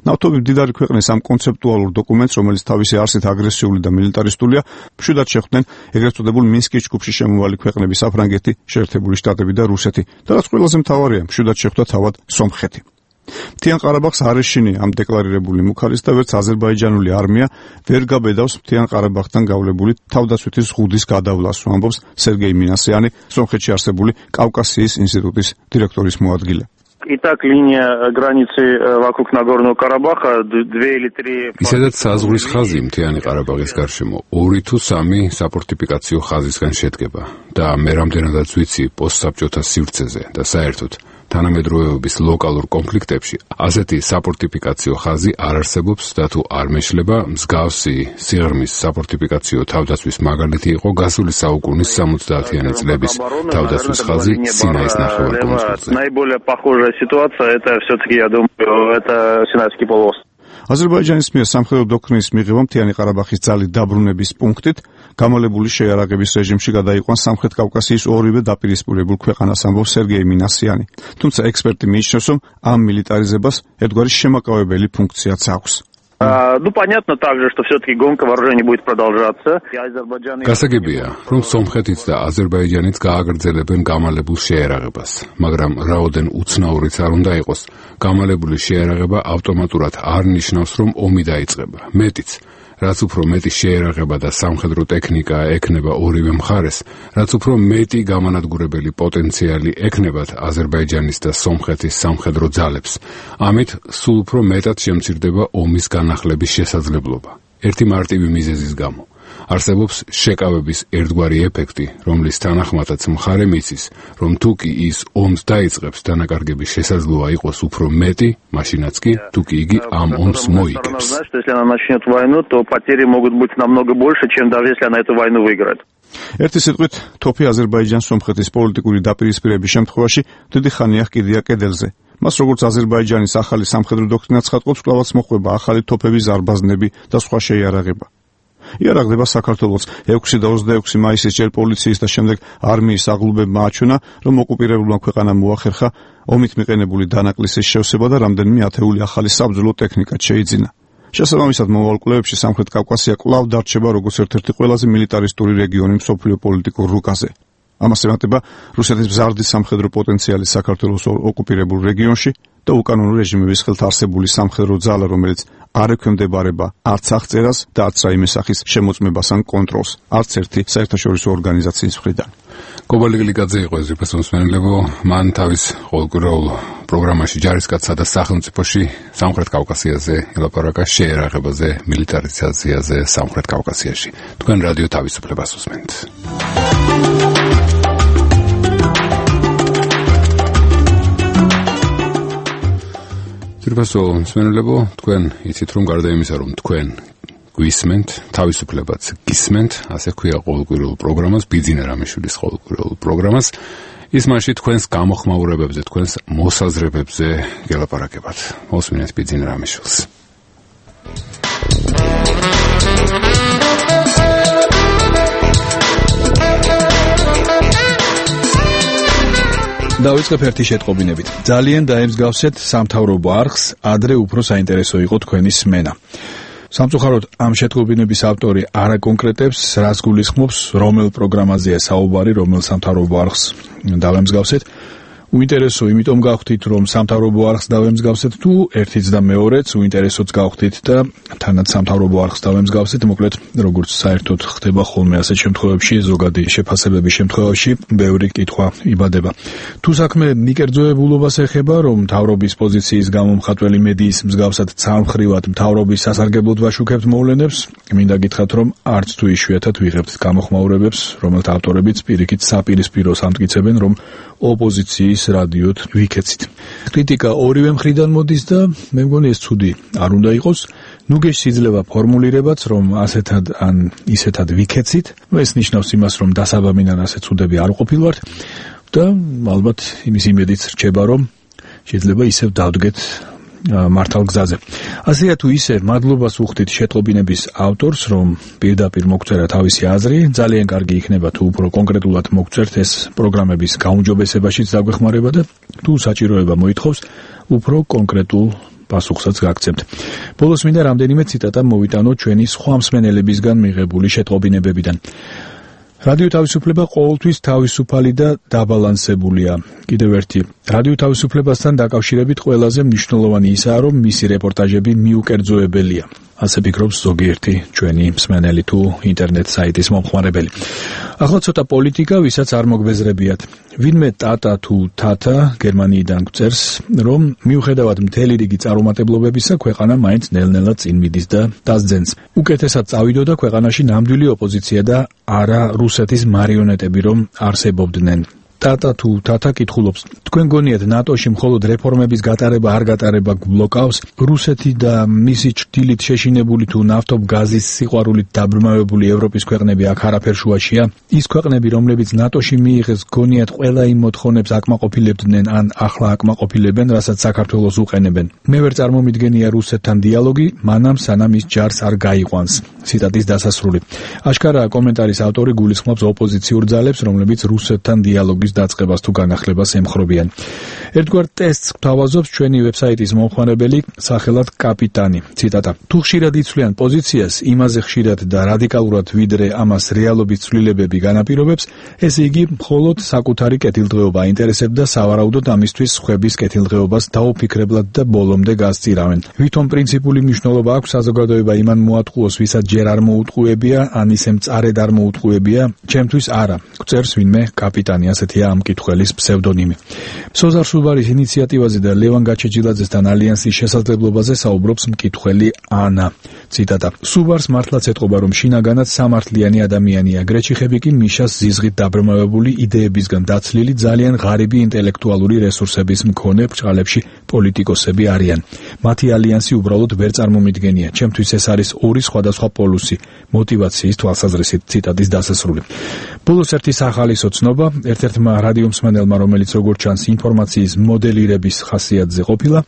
ნავთობის მდიდარი ქვეყნის ამ კონცეპტუალურ დოკუმენტს, რომელიც თავისი არსით აგრესიული და მილიტარისტულია, მშვიდად შეხვდნენ ეგრეთ წოდებულ მინსკის ჯგუფში შემოვალი ქვეყნები საფრანგეთი, შეერთებული შტატები და რუსეთი, და რაც ყველაზე მთავარია, მშვიდად შეხვდა თავად სომხეთი. მთიან ყარაბაღს არ ეშინია ამ დეკლარირებული მუქარის და ვერც აზერბაიჯანული არმია ვერ გაბედავს მთიან ყარაბაღთან გავლებული თავდაცვითი ზღუდის გადავლას, ამბობს სერგეი მინასიანი, სომხეთში არსებული კავკასიის ინსტიტუტის დირექტორის მოადგილე. Итак, линия границы вокруг Нагорного Карабаха две или три. ისედაც საზღვრის ხაზი მთიანი ყარაბაღის გარშემო ორი თუ სამი საფორტიფიკაციო ხაზისგან შედგება და მე რამდენადაც ვიცი პოსტსაბჭოთა სივრცეზე და საერთოდ თანამედროვეობის ლოკალურ კონფლიქტებში ასეთი საფორტიფიკაციო ხაზი არ არსებობს და თუ არ მეშლება, მსგავსი სიღრმის საფორტიფიკაციო თავდაცვის მაგალითი იყო გასული საუკუნის სამოცდაათიანი წლების თავდაცვის ხაზი სინაის ნახევარკუნძულზე. Наиболее похожая ситуация это все-таки, я думаю, это Синайский полуостров. აზერბაიჯანის მიერ სამხედრო დოქტრინის მიღება მთიანი ყარაბაღის ძალით დაბრუნების პუნქტით გამალებული შეიარაღების რეჟიმში გადაიყვანს სამხრეთ კავკასიის ორივე დაპირისპირებულ ქვეყანას, ამბობს სერგეი მინასიანი. თუმცა ექსპერტი მიიჩნევს, რომ ამ მილიტარიზებას ერთგვარი შემაკავებელი ფუნქციაც აქვს. Ну, понятно также, что все-таки гонка вооружений будет продолжаться. გასაგებია, რომ სომხეთიც და აზერბაიჯანიც გააგრძელებენ გამალებულ შეიარაღებას, მაგრამ რაოდენ უცნაურიც არ უნდა იყოს, გამალებული შეიარაღება ავტომატურად არ ნიშნავს, რომ ომი დაიწყება. მეტიც, რაც უფრო მეტი შეიარაღება და სამხედრო ტექნიკა ექნება ორივე მხარეს, რაც უფრო მეტი გამანადგურებელი პოტენციალი ექნებათ აზერბაიჯანის და სომხეთის სამხედრო ძალებს, ამით სულ უფრო მეტად შემცირდება ომის განახლების შესაძლებლობა. ერთი მარტივი მიზეზის გამო. არსებობს შეკავების ერთგვარი ეფექტი, რომლის თანახმადაც მხარე მიცის, რომ თუ კი ის ომს დაიწყებს, დანაკარგების შესაძლოა იყოს უფრო მეტი, მაშინაც კი თუ კი იგი ამ ომს მოიგებს. Если она начнет войну, то потери могут быть намного больше, чем даже если она эту войну выиграет. ერთი სიტყვით, თოფი აზერბაიჯან-სომხეთის პოლიტიკური დაპირისპირების შემთხვევაში დიდი ხანია კიდია კედელზე. მას როგორც აზერბაიჯანის ახალი სამხედრო დოქტრინა ცხადყოფს, კვლავაც მოხვება ახალი თოფების ზარბაზნები და სხვა შეიარაღება. იარაღდება საქართველოს ექვსი და ოცდაექვსი მაისის ჯერ პოლიციის და შემდეგ არმიის აღლუბებმა აჩვენა, რომ ოკუპირებულმა ქვეყანამ მოახერხა ომით მიყენებული დანაკლისის შევსება და რამდენიმე ათეული ახალი საბრძოლო ტექნიკაც შეიძინა. შესაბამისად, მომავალ კვლევებში სამხრეთ კავკასია კვლავ დარჩება როგორც ერთ-ერთი ყველაზე მილიტარისტური რეგიონი მსოფლიო პოლიტიკურ რუკაზე. ამას ემატება რუსეთის მზარდი სამხედრო პოტენციალი საქართველოს ოკუპირებულ რეგიონში და უკანონო რეჟიმების ხელთ არსებული სამხედრო ძალა, რომელიც არ ექვემდებარება არც აღწერას და არც რაიმე სახის შემოწმებას ან კონტროლს, არც ერთი საერთაშორისო ორგანიზაციის მხრიდან. კობალი გლიკაძე იყო ეს რიფესმოსმენელებო, მან თავის ყოველკვირეულ პროგრამაში ჯარისკაცსა და სახელმწიფოში სამხრეთ კავკასიაზე ელაპარაკა შეიარაღებაზე, მილიტარიზაციაზე სამხრეთ კავკასიაში. თქვენ რადიო თავისუფლებას უსმენთ. ძირფასო მსმენელებო, თქვენ იცით, რომ გარდა იმისა, რომ თქვენ გვისმენთ, თავისუფლებაც გისმენთ, ასე ქვია ყოველკვირეულ პროგრამას, ბიძინა რამიშვილის ყოველკვირეულ პროგრამას, ის მასში თქვენს გამოხმაურებებზე, თქვენს მოსაზრებებზე გელაპარაკებათ. მოსმინეთ ბიძინა რამიშვილს. დავიწყებ ერთი შეტყობინებით. ძალიან დაემსგავსეთ სამთავრობო არხს, ადრე უფრო საინტერესო იყო თქვენი სმენა. სამწუხაროდ, ამ შეტყობინების ავტორი არ აკონკრეტებს, რას გულისხმობს, რომელ პროგრამაზეა საუბარი, რომელ სამთავრობო არხს დავემსგავსეთ. უინტერესო იმიტომ გავხდით, რომ სამთავრობო არხს დავემსგავსეთ, თუ ერთიც და მეორეც უინტერესოც გავხდით და თანაც სამთავრობო არხს დავემსგავსეთ, მოკლედ, როგორც საერთოდ ხდება ხოლმე ასეთ შემთხვევებში, ზოგადი შეფასებების შემთხვევაში, ბევრი კითხვა იბადება. თუ საქმე მიკერძოებულობას ეხება, რომ მთავრობის პოზიციის გამომხატველი მედიის მსგავსად ცალმხრივად მთავრობის სასარგებლოდ ვაშუქებთ მოვლენებს, მინდა გითხრათ, რომ არც თუ იშვიათად ვიღებთ გამოხმაურებებს, რომელთა ავტორებიც პირიქით საპირისპიროს ამტკიცებენ, რომ ოპოზიციის რადიოთ ვიქეცით. კრიტიკა ორივე მხრიდან მოდის და მე მგონი ეს ცუდი არ უნდა იყოს. ნუ გეშიძლება ფორმულირებაც, რომ ასეთად ან ისეთად ვიქეცით. ნუ ეს ნიშნავს იმას, რომ დასაბამიდან ასე ცუდები არ ყოფილვართ და ალბათ იმის იმედიც რჩება, რომ შეიძლება ისევ დავდგეთ მართალ გზაზე. ასეა თუ ისე, მადლობას უხდით შეტყობინების ავტორს, რომ პირდაპირ მოგწერა თავისი აზრი, ძალიან კარგი იქნება თუ უფრო კონკრეტულად მოგწერთ, ეს პროგრამების გაუმჯობესებაშიც დაგვეხმარება და თუ საჭიროება მოითხოვს, უფრო კონკრეტულ პასუხსაც გაგცემთ. ბოლოს მინდა რამდენიმე ციტატა მოვიტანო ჩვენი სხვა მსმენელებისგან მიღებული შეტყობინებებიდან. რადიო თავისუფლება ყოველთვის თავისუფალი და დაბალანსებულია. კიდევ ერთი, რადიო თავისუფლებასთან დაკავშირებით ყველაზე მნიშვნელოვანი ისაა, რომ მისი რეპორტაჟები მიუკერძოებელია. ასე ფიქრობს ზოგიერთი ჩვენი მსმენელი თუ ინტერნეტ საიტის მომხმარებელი. ახლა ცოტა პოლიტიკა, ვისაც არ მოგბეზრებიათ. ვინმე ტატა თუ თათა გერმანიიდან გვწერს, რომ მიუხედავად მთელი რიგი წარუმატებლობებისა, ქვეყანა მაინც ნელ-ნელა წინ მიდის და დასძენს. უკეთესად წავიდოდა ქვეყანაში ნამდვილი ოპოზიცია და არა რუსეთის მარიონეტები, რომ არსებობდნენ. ტატა თუ თათა კითხულობს, თქვენ გონიათ ნატოში მხოლოდ რეფორმების გატარება არ გატარება გბლოკავს? რუსეთი და მისი ჭრდილით შეშინებული თუ ნავთობ-გაზის სიყვარულით დაბრმავებული ევროპის ქვეყნები აქ არაფერ შუაშია? ის ქვეყნები, რომლებიც ნატოში მიიღეს, გონიათ ყველა იმ მოთხოვნებს აკმაყოფილებდნენ ან ახლა აკმაყოფილებენ, რასაც საქართველოს უყენებენ? მე ვერ წარმომიდგენია რუსეთთან დიალოგი, მანამ სანამ ის ჯარს არ გაიყვანს. ციტატის დასასრული. აშკარაა კომენტარის ავტორი გულისხმობს ოპოზიციურ ძალებს, რომლებიც რუსეთთან დიალოგის დაწყებას თუ განახლებას ემხრობიან. ერთგვარ ტესტს გვთავაზობს ჩვენი ვებსაიტის მომხმარებელი სახელად კაპიტანი. ციტატა. თუ ხშირად იცვლიან პოზიციას, იმაზე ხშირად და რადიკალურად ვიდრე ამას რეალობის ცვლილებები განაპირობებს, ესე იგი მხოლოდ საკუთარი კეთილდღეობა აინტერესებდა და სავარაუდოდ ამისთვის სხვების კეთილდღეობას დაუფიქრებლად და ბოლომდე გასწირავენ. ვითომ პრინციპული მნიშვნელობა აქვს საზოგადოება იმან მოატყუოს, ვისაც ჯერ არ მოუტყუებია, ან ისე მწარედ არ მოუტყუებია, ჩემთვის არა. გვწერს ვინმე კაპიტანი, ასეთია ამ კითხველის ფსევდონიმი. სოზარ სუბარის ინიციატივაზე და ლევან გაჩეჯილაძესთან ალიანსის შესაძლებლობაზე საუბრობს მკითხველი ანა. ციტატა. სუბარს მართლაც ეთყობა, რომ შინაგანად სამართლიანი ადამიანია. გრეჩიხები კი მიშას ზიზღით დაბრმავებული იდეებისგან დაცლილი ძალიან ღარიბი ინტელექტუალური რესურსების მქონე ბრჭყალებში პოლიტიკოსები არიან. მათი ალიანსი უბრალოდ ვერ წარმომიდგენია. ჩემთვის ეს არის ორი სხვადასხვა პოლუსი მოტივაციის თვალსაზრისით. ციტატის დასასრული. ბოლოს ერთი სახალისო ცნობა, ერთ-ერთმა რადიო მსმენელმა, რომელიც როგორც ჩანს ინფორმაციის მოდელირების ხასიათზე ყოფილა,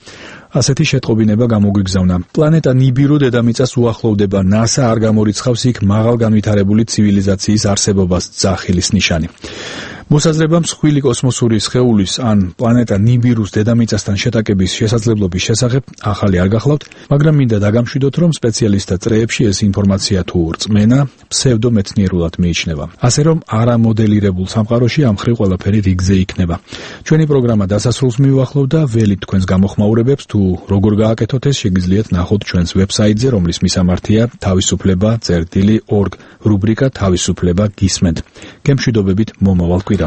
ასეთი შეტყობინება გამოგვიგზავნა. პლანეტა ნიბირო დედამიწას უახლოვდება, ნასა არ გამორიცხავს იქ მაღალ განვითარებული ცივილიზაციის არსებობას, ძახილის ნიშანი. მოსაზრება მსხვილი კოსმოსური სხეულის ან პლანეტა ნიბირუს დედამიწასთან შეტაკების შესაძლებლობის შესახებ ახალი არ გახლავთ, მაგრამ მინდა დაგამშვიდოთ, რომ სპეციალისტთა წრეებში ეს ინფორმაცია თუ რწმენა ფსევდომეცნიერულად მიიჩნევა. ასე რომ არამოდელირებულ სამყაროში ამ მხრივ ყველაფერი რიგზე იქნება. ჩვენი პროგრამა დასასრულს მივახლოვ და ველით თქვენს გამოხმაურებებს თუ როგორ გააკეთოთ ეს შეგიძლიათ ნახოთ ჩვენს ვებსაიტზე, რომლის მისამართია თავისუფლება წერტილი ორგ, რუბრიკა თავისუფლება გისმენთ. გემშვიდობებით მომავალ კვირამდე.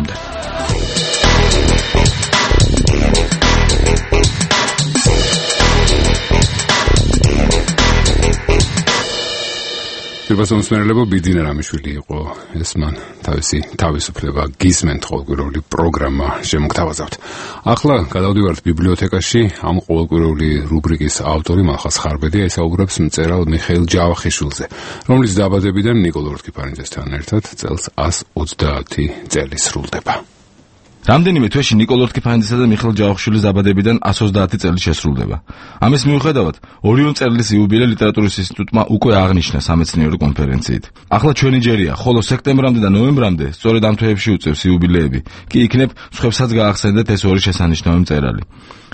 ფირბასომსმენელებო ბიძინა რამიშვილი იყო ეს მან თავისი თავისუფლება გისმენთ ყოველკვირეული პროგრამა შემოგთავაზავთ. ახლა გადავდივართ ბიბლიოთეკაში. ამ ყოველკვირეული რუბრიკის ავტორი მალხაზ ხარბედია, ისაუბრებს მწერალ მიხეილ ჯავახიშვილზე, რომლის დაბადებიდან ნიკოლ ორთქიფანიძესთან ერთად წელს ას ოცდაათი წელი სრულდება. რამდენიმე თვეში ნიკოლ ორთქიფანიძესა და მიხეილ ჯავახიშვილის დაბადებიდან ას ოცდაათი წელი შესრულდება. ამის მიუხედავად, ორიონ მწერლის იუბილე ლიტერატურის ინსტიტუტმა უკვე აღნიშნა სამეცნიერო კონფერენციით. ახლა ჩვენი ჯერია, ხოლო სექტემბრამდე და ნოემბრამდე, სწორედ ამ თვეებში უწევს იუბილეები, კი იქნებ სხვებსაც გაახსენდეთ ეს ორი შესანიშნავი მწერალი.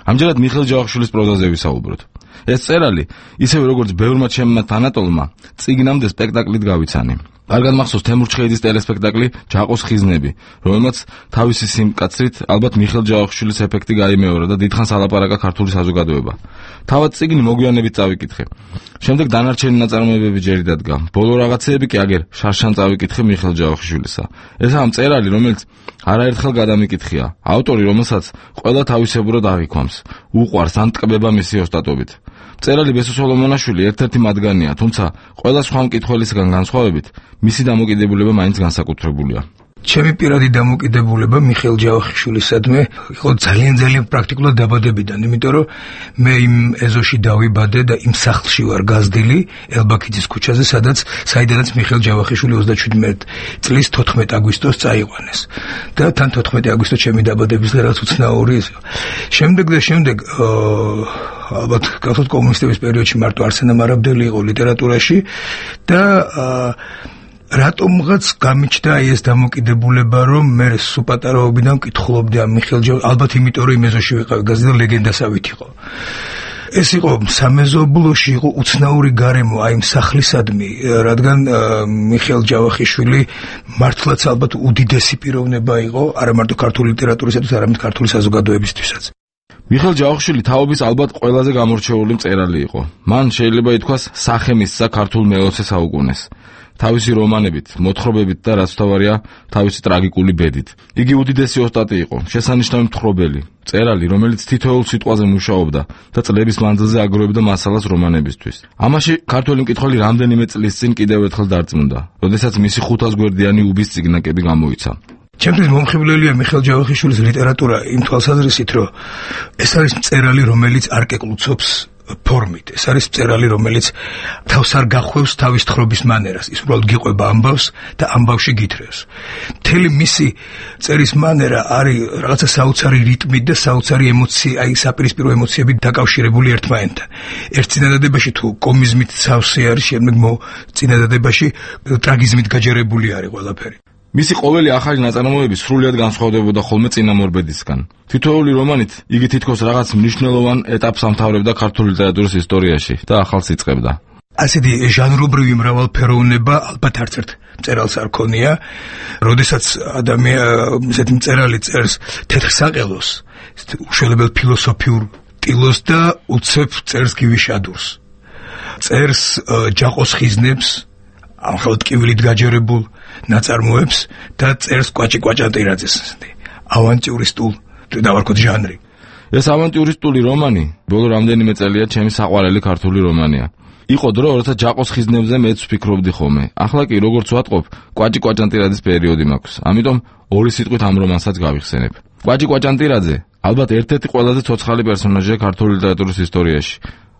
ამჯერად მიხეილ ჯავახიშვილის პროზაზე ვისაუბროთ. ეს მწერალი, ისევე როგორც ბევრმა ჩემმა თანატოლმა, წიგნამდე სპექტაკლით გავიცანი. კარგად მახსოვს თემურ ჩხეიძის ტელესპექტაკლი ჯაყოს ხიზნები, რომელმაც თავისი სიმკაცრით ალბათ მიხეილ ჯავახიშვილის ეფექტი გაიმეორა და დიდხანს ალაპარაკა ქართული საზოგადოება. თავად წიგნი მოგვიანებით წავიკითხე. შემდეგ დანარჩენი ნაწარმოებები ჯერი დადგა. ბოლო რაღაცეები კი აგერ შარშან წავიკითხე მიხეილ ჯავახიშვილისა. ესაა მწერალი, რომელიც არაერთხელ გადამიკითხია, ავტორი, რომელსაც ყველა თავისებურად აღიქვამს, უყვარს ან ტკბება მისი ოსტატობით. მწერალი ბესო სოლომონაშვილი ერთ-ერთი მათგანია, თუმცა ყველა სხვა მკითხველისგან განსხვავებით, მისი დამოკიდებულება მაინც განსაკუთრებულია. ჩემი პირადი დამოკიდებულება მიხეილ ჯავახიშვილისადმი იყო ძალიან ძალიან პრაქტიკულად დაბადებიდან, იმიტომ რომ მე იმ ეზოში დავიბადე და იმ სახლში ვარ გაზრდილი ელბაქიძის ქუჩაზე, სადაც საიდანაც მიხეილ ჯავახიშვილი ოცდაშვიდმეტ წლის თოთხმეტ აგვისტოს წაიყვანეს. და თან თოთხმეტი აგვისტო ჩემი დაბადების დღე რაც უცნაური ის. შემდეგ და შემდეგ ალბათ გახსოვთ კომუნისტების პერიოდში მარტო არსენ ამარაბდელი იყო ლიტერატურაში და რატომღაც გამიჩნდა ეს დამოკიდებულება, რომ მე სუპატარაობიდან მკითხულობდი ამ მიხეილ ჯავახიშვილს, ალბათ იმიტომ რომ იმ ეზოში ვიყავი გაზრდილი და ლეგენდასავით იყო. ეს იყო სამეზობლოში იყო უცნაური გარემო აი იმ სახლისადმი, რადგან მიხეილ ჯავახიშვილი მართლაც ალბათ უდიდესი პიროვნება იყო, არა მარტო ქართული ლიტერატურისათვის, არამედ ქართული საზოგადოებისთვისაც. მიხეილ ჯავახიშვილი თაობის ალბათ ყველაზე გამორჩეული მწერალი იყო. მან შეიძლება ითქვას სახე მისცა ქართულ მეოცე საუკუნეს. თავისი რომანებით, მოთხრობებით და რაც თავარია, თავისი ტრაგიკული ბედით. იგი უდიდესი ოსტატი იყო, შესანიშნავი მთხრობელი, მწერალი, რომელიც თითოეულ სიტყვაზე მუშაობდა და წლების მანძილზე აგროვებდა მასალას რომანებისთვის. ამაში ქართველი მკითხველი რამდენიმე წლის წინ კიდევ ერთხელ დარწმუნდა, როდესაც მისი ხუთას გვერდიანი უბის წიგნაკები გამოიცა. ჩემთვის მომხიბვლელია მიხეილ ჯავახიშვილის ლიტერატურა იმ თვალსაზრისით, რომ ეს არის მწერალი, რომელიც არ კეკლუცობს ფორმით. ეს არის მწერალი, რომელიც თავს არ გახვევს თავის თხრობის მანერას. ის უბრალოდ გიყვება ამბავს და ამბავში გითხრევს. მთელი მისი წერის მანერა არის რაღაცა საოცარი რიტმით და საოცარი ემოცი, აი საპირისპირო ემოციებით დაკავშირებული ერთმანეთთან. ერთ წინადადებაში თუ კომიზმით სავსე არის, შემდეგ წინადადებაში ტრაგიზმით გაჯერებული არის ყველაფერი. მისი ყოველი ახალი ნაწარმოები სრულიად განსხვავდებოდა ხოლმე წინამორბედისგან. თითოეული რომანით იგი თითქოს რაღაც მნიშვნელოვან ეტაპს ამთავრებდა ქართული ლიტერატურის ისტორიაში და ახალს იწყებდა. ასეთი ჟანრობრივი მრავალფეროვნება ალბათ არც ერთ მწერალს არ ქონია, როდესაც ადამიანი ესეთი მწერალი წერს თეთრ საყელოს, უშველებელ ფილოსოფიურ ტილოს და უცებ წერს გივიშადურს. წერს ჯაყოს ხიზნებს, ამხელად ტკივილით გაჯერებულ ნაწარმოებს და წერს კვაჭი კვაჭანტირაძეს ავანტიურისტულ დავარქოთ ჟანრი. ეს ავანტიურისტული რომანი ბოლო რამდენიმე წელია ჩემი საყვარელი ქართული რომანია. იყო დრო, როცა ჯაყოს ხიზნებზე მეც ვფიქრობდი ხოლმე. ახლა კი როგორც ვატყობ, კვაჭი კვაჭანტირაძის პერიოდი მაქვს. ამიტომ ორი სიტყვით ამ რომანსაც გავიხსენებ. კვაჭი კვაჭანტირაძე ალბათ ერთ-ერთი ყველაზე ცოცხალი პერსონაჟია ქართული ლიტერატურის ისტორიაში.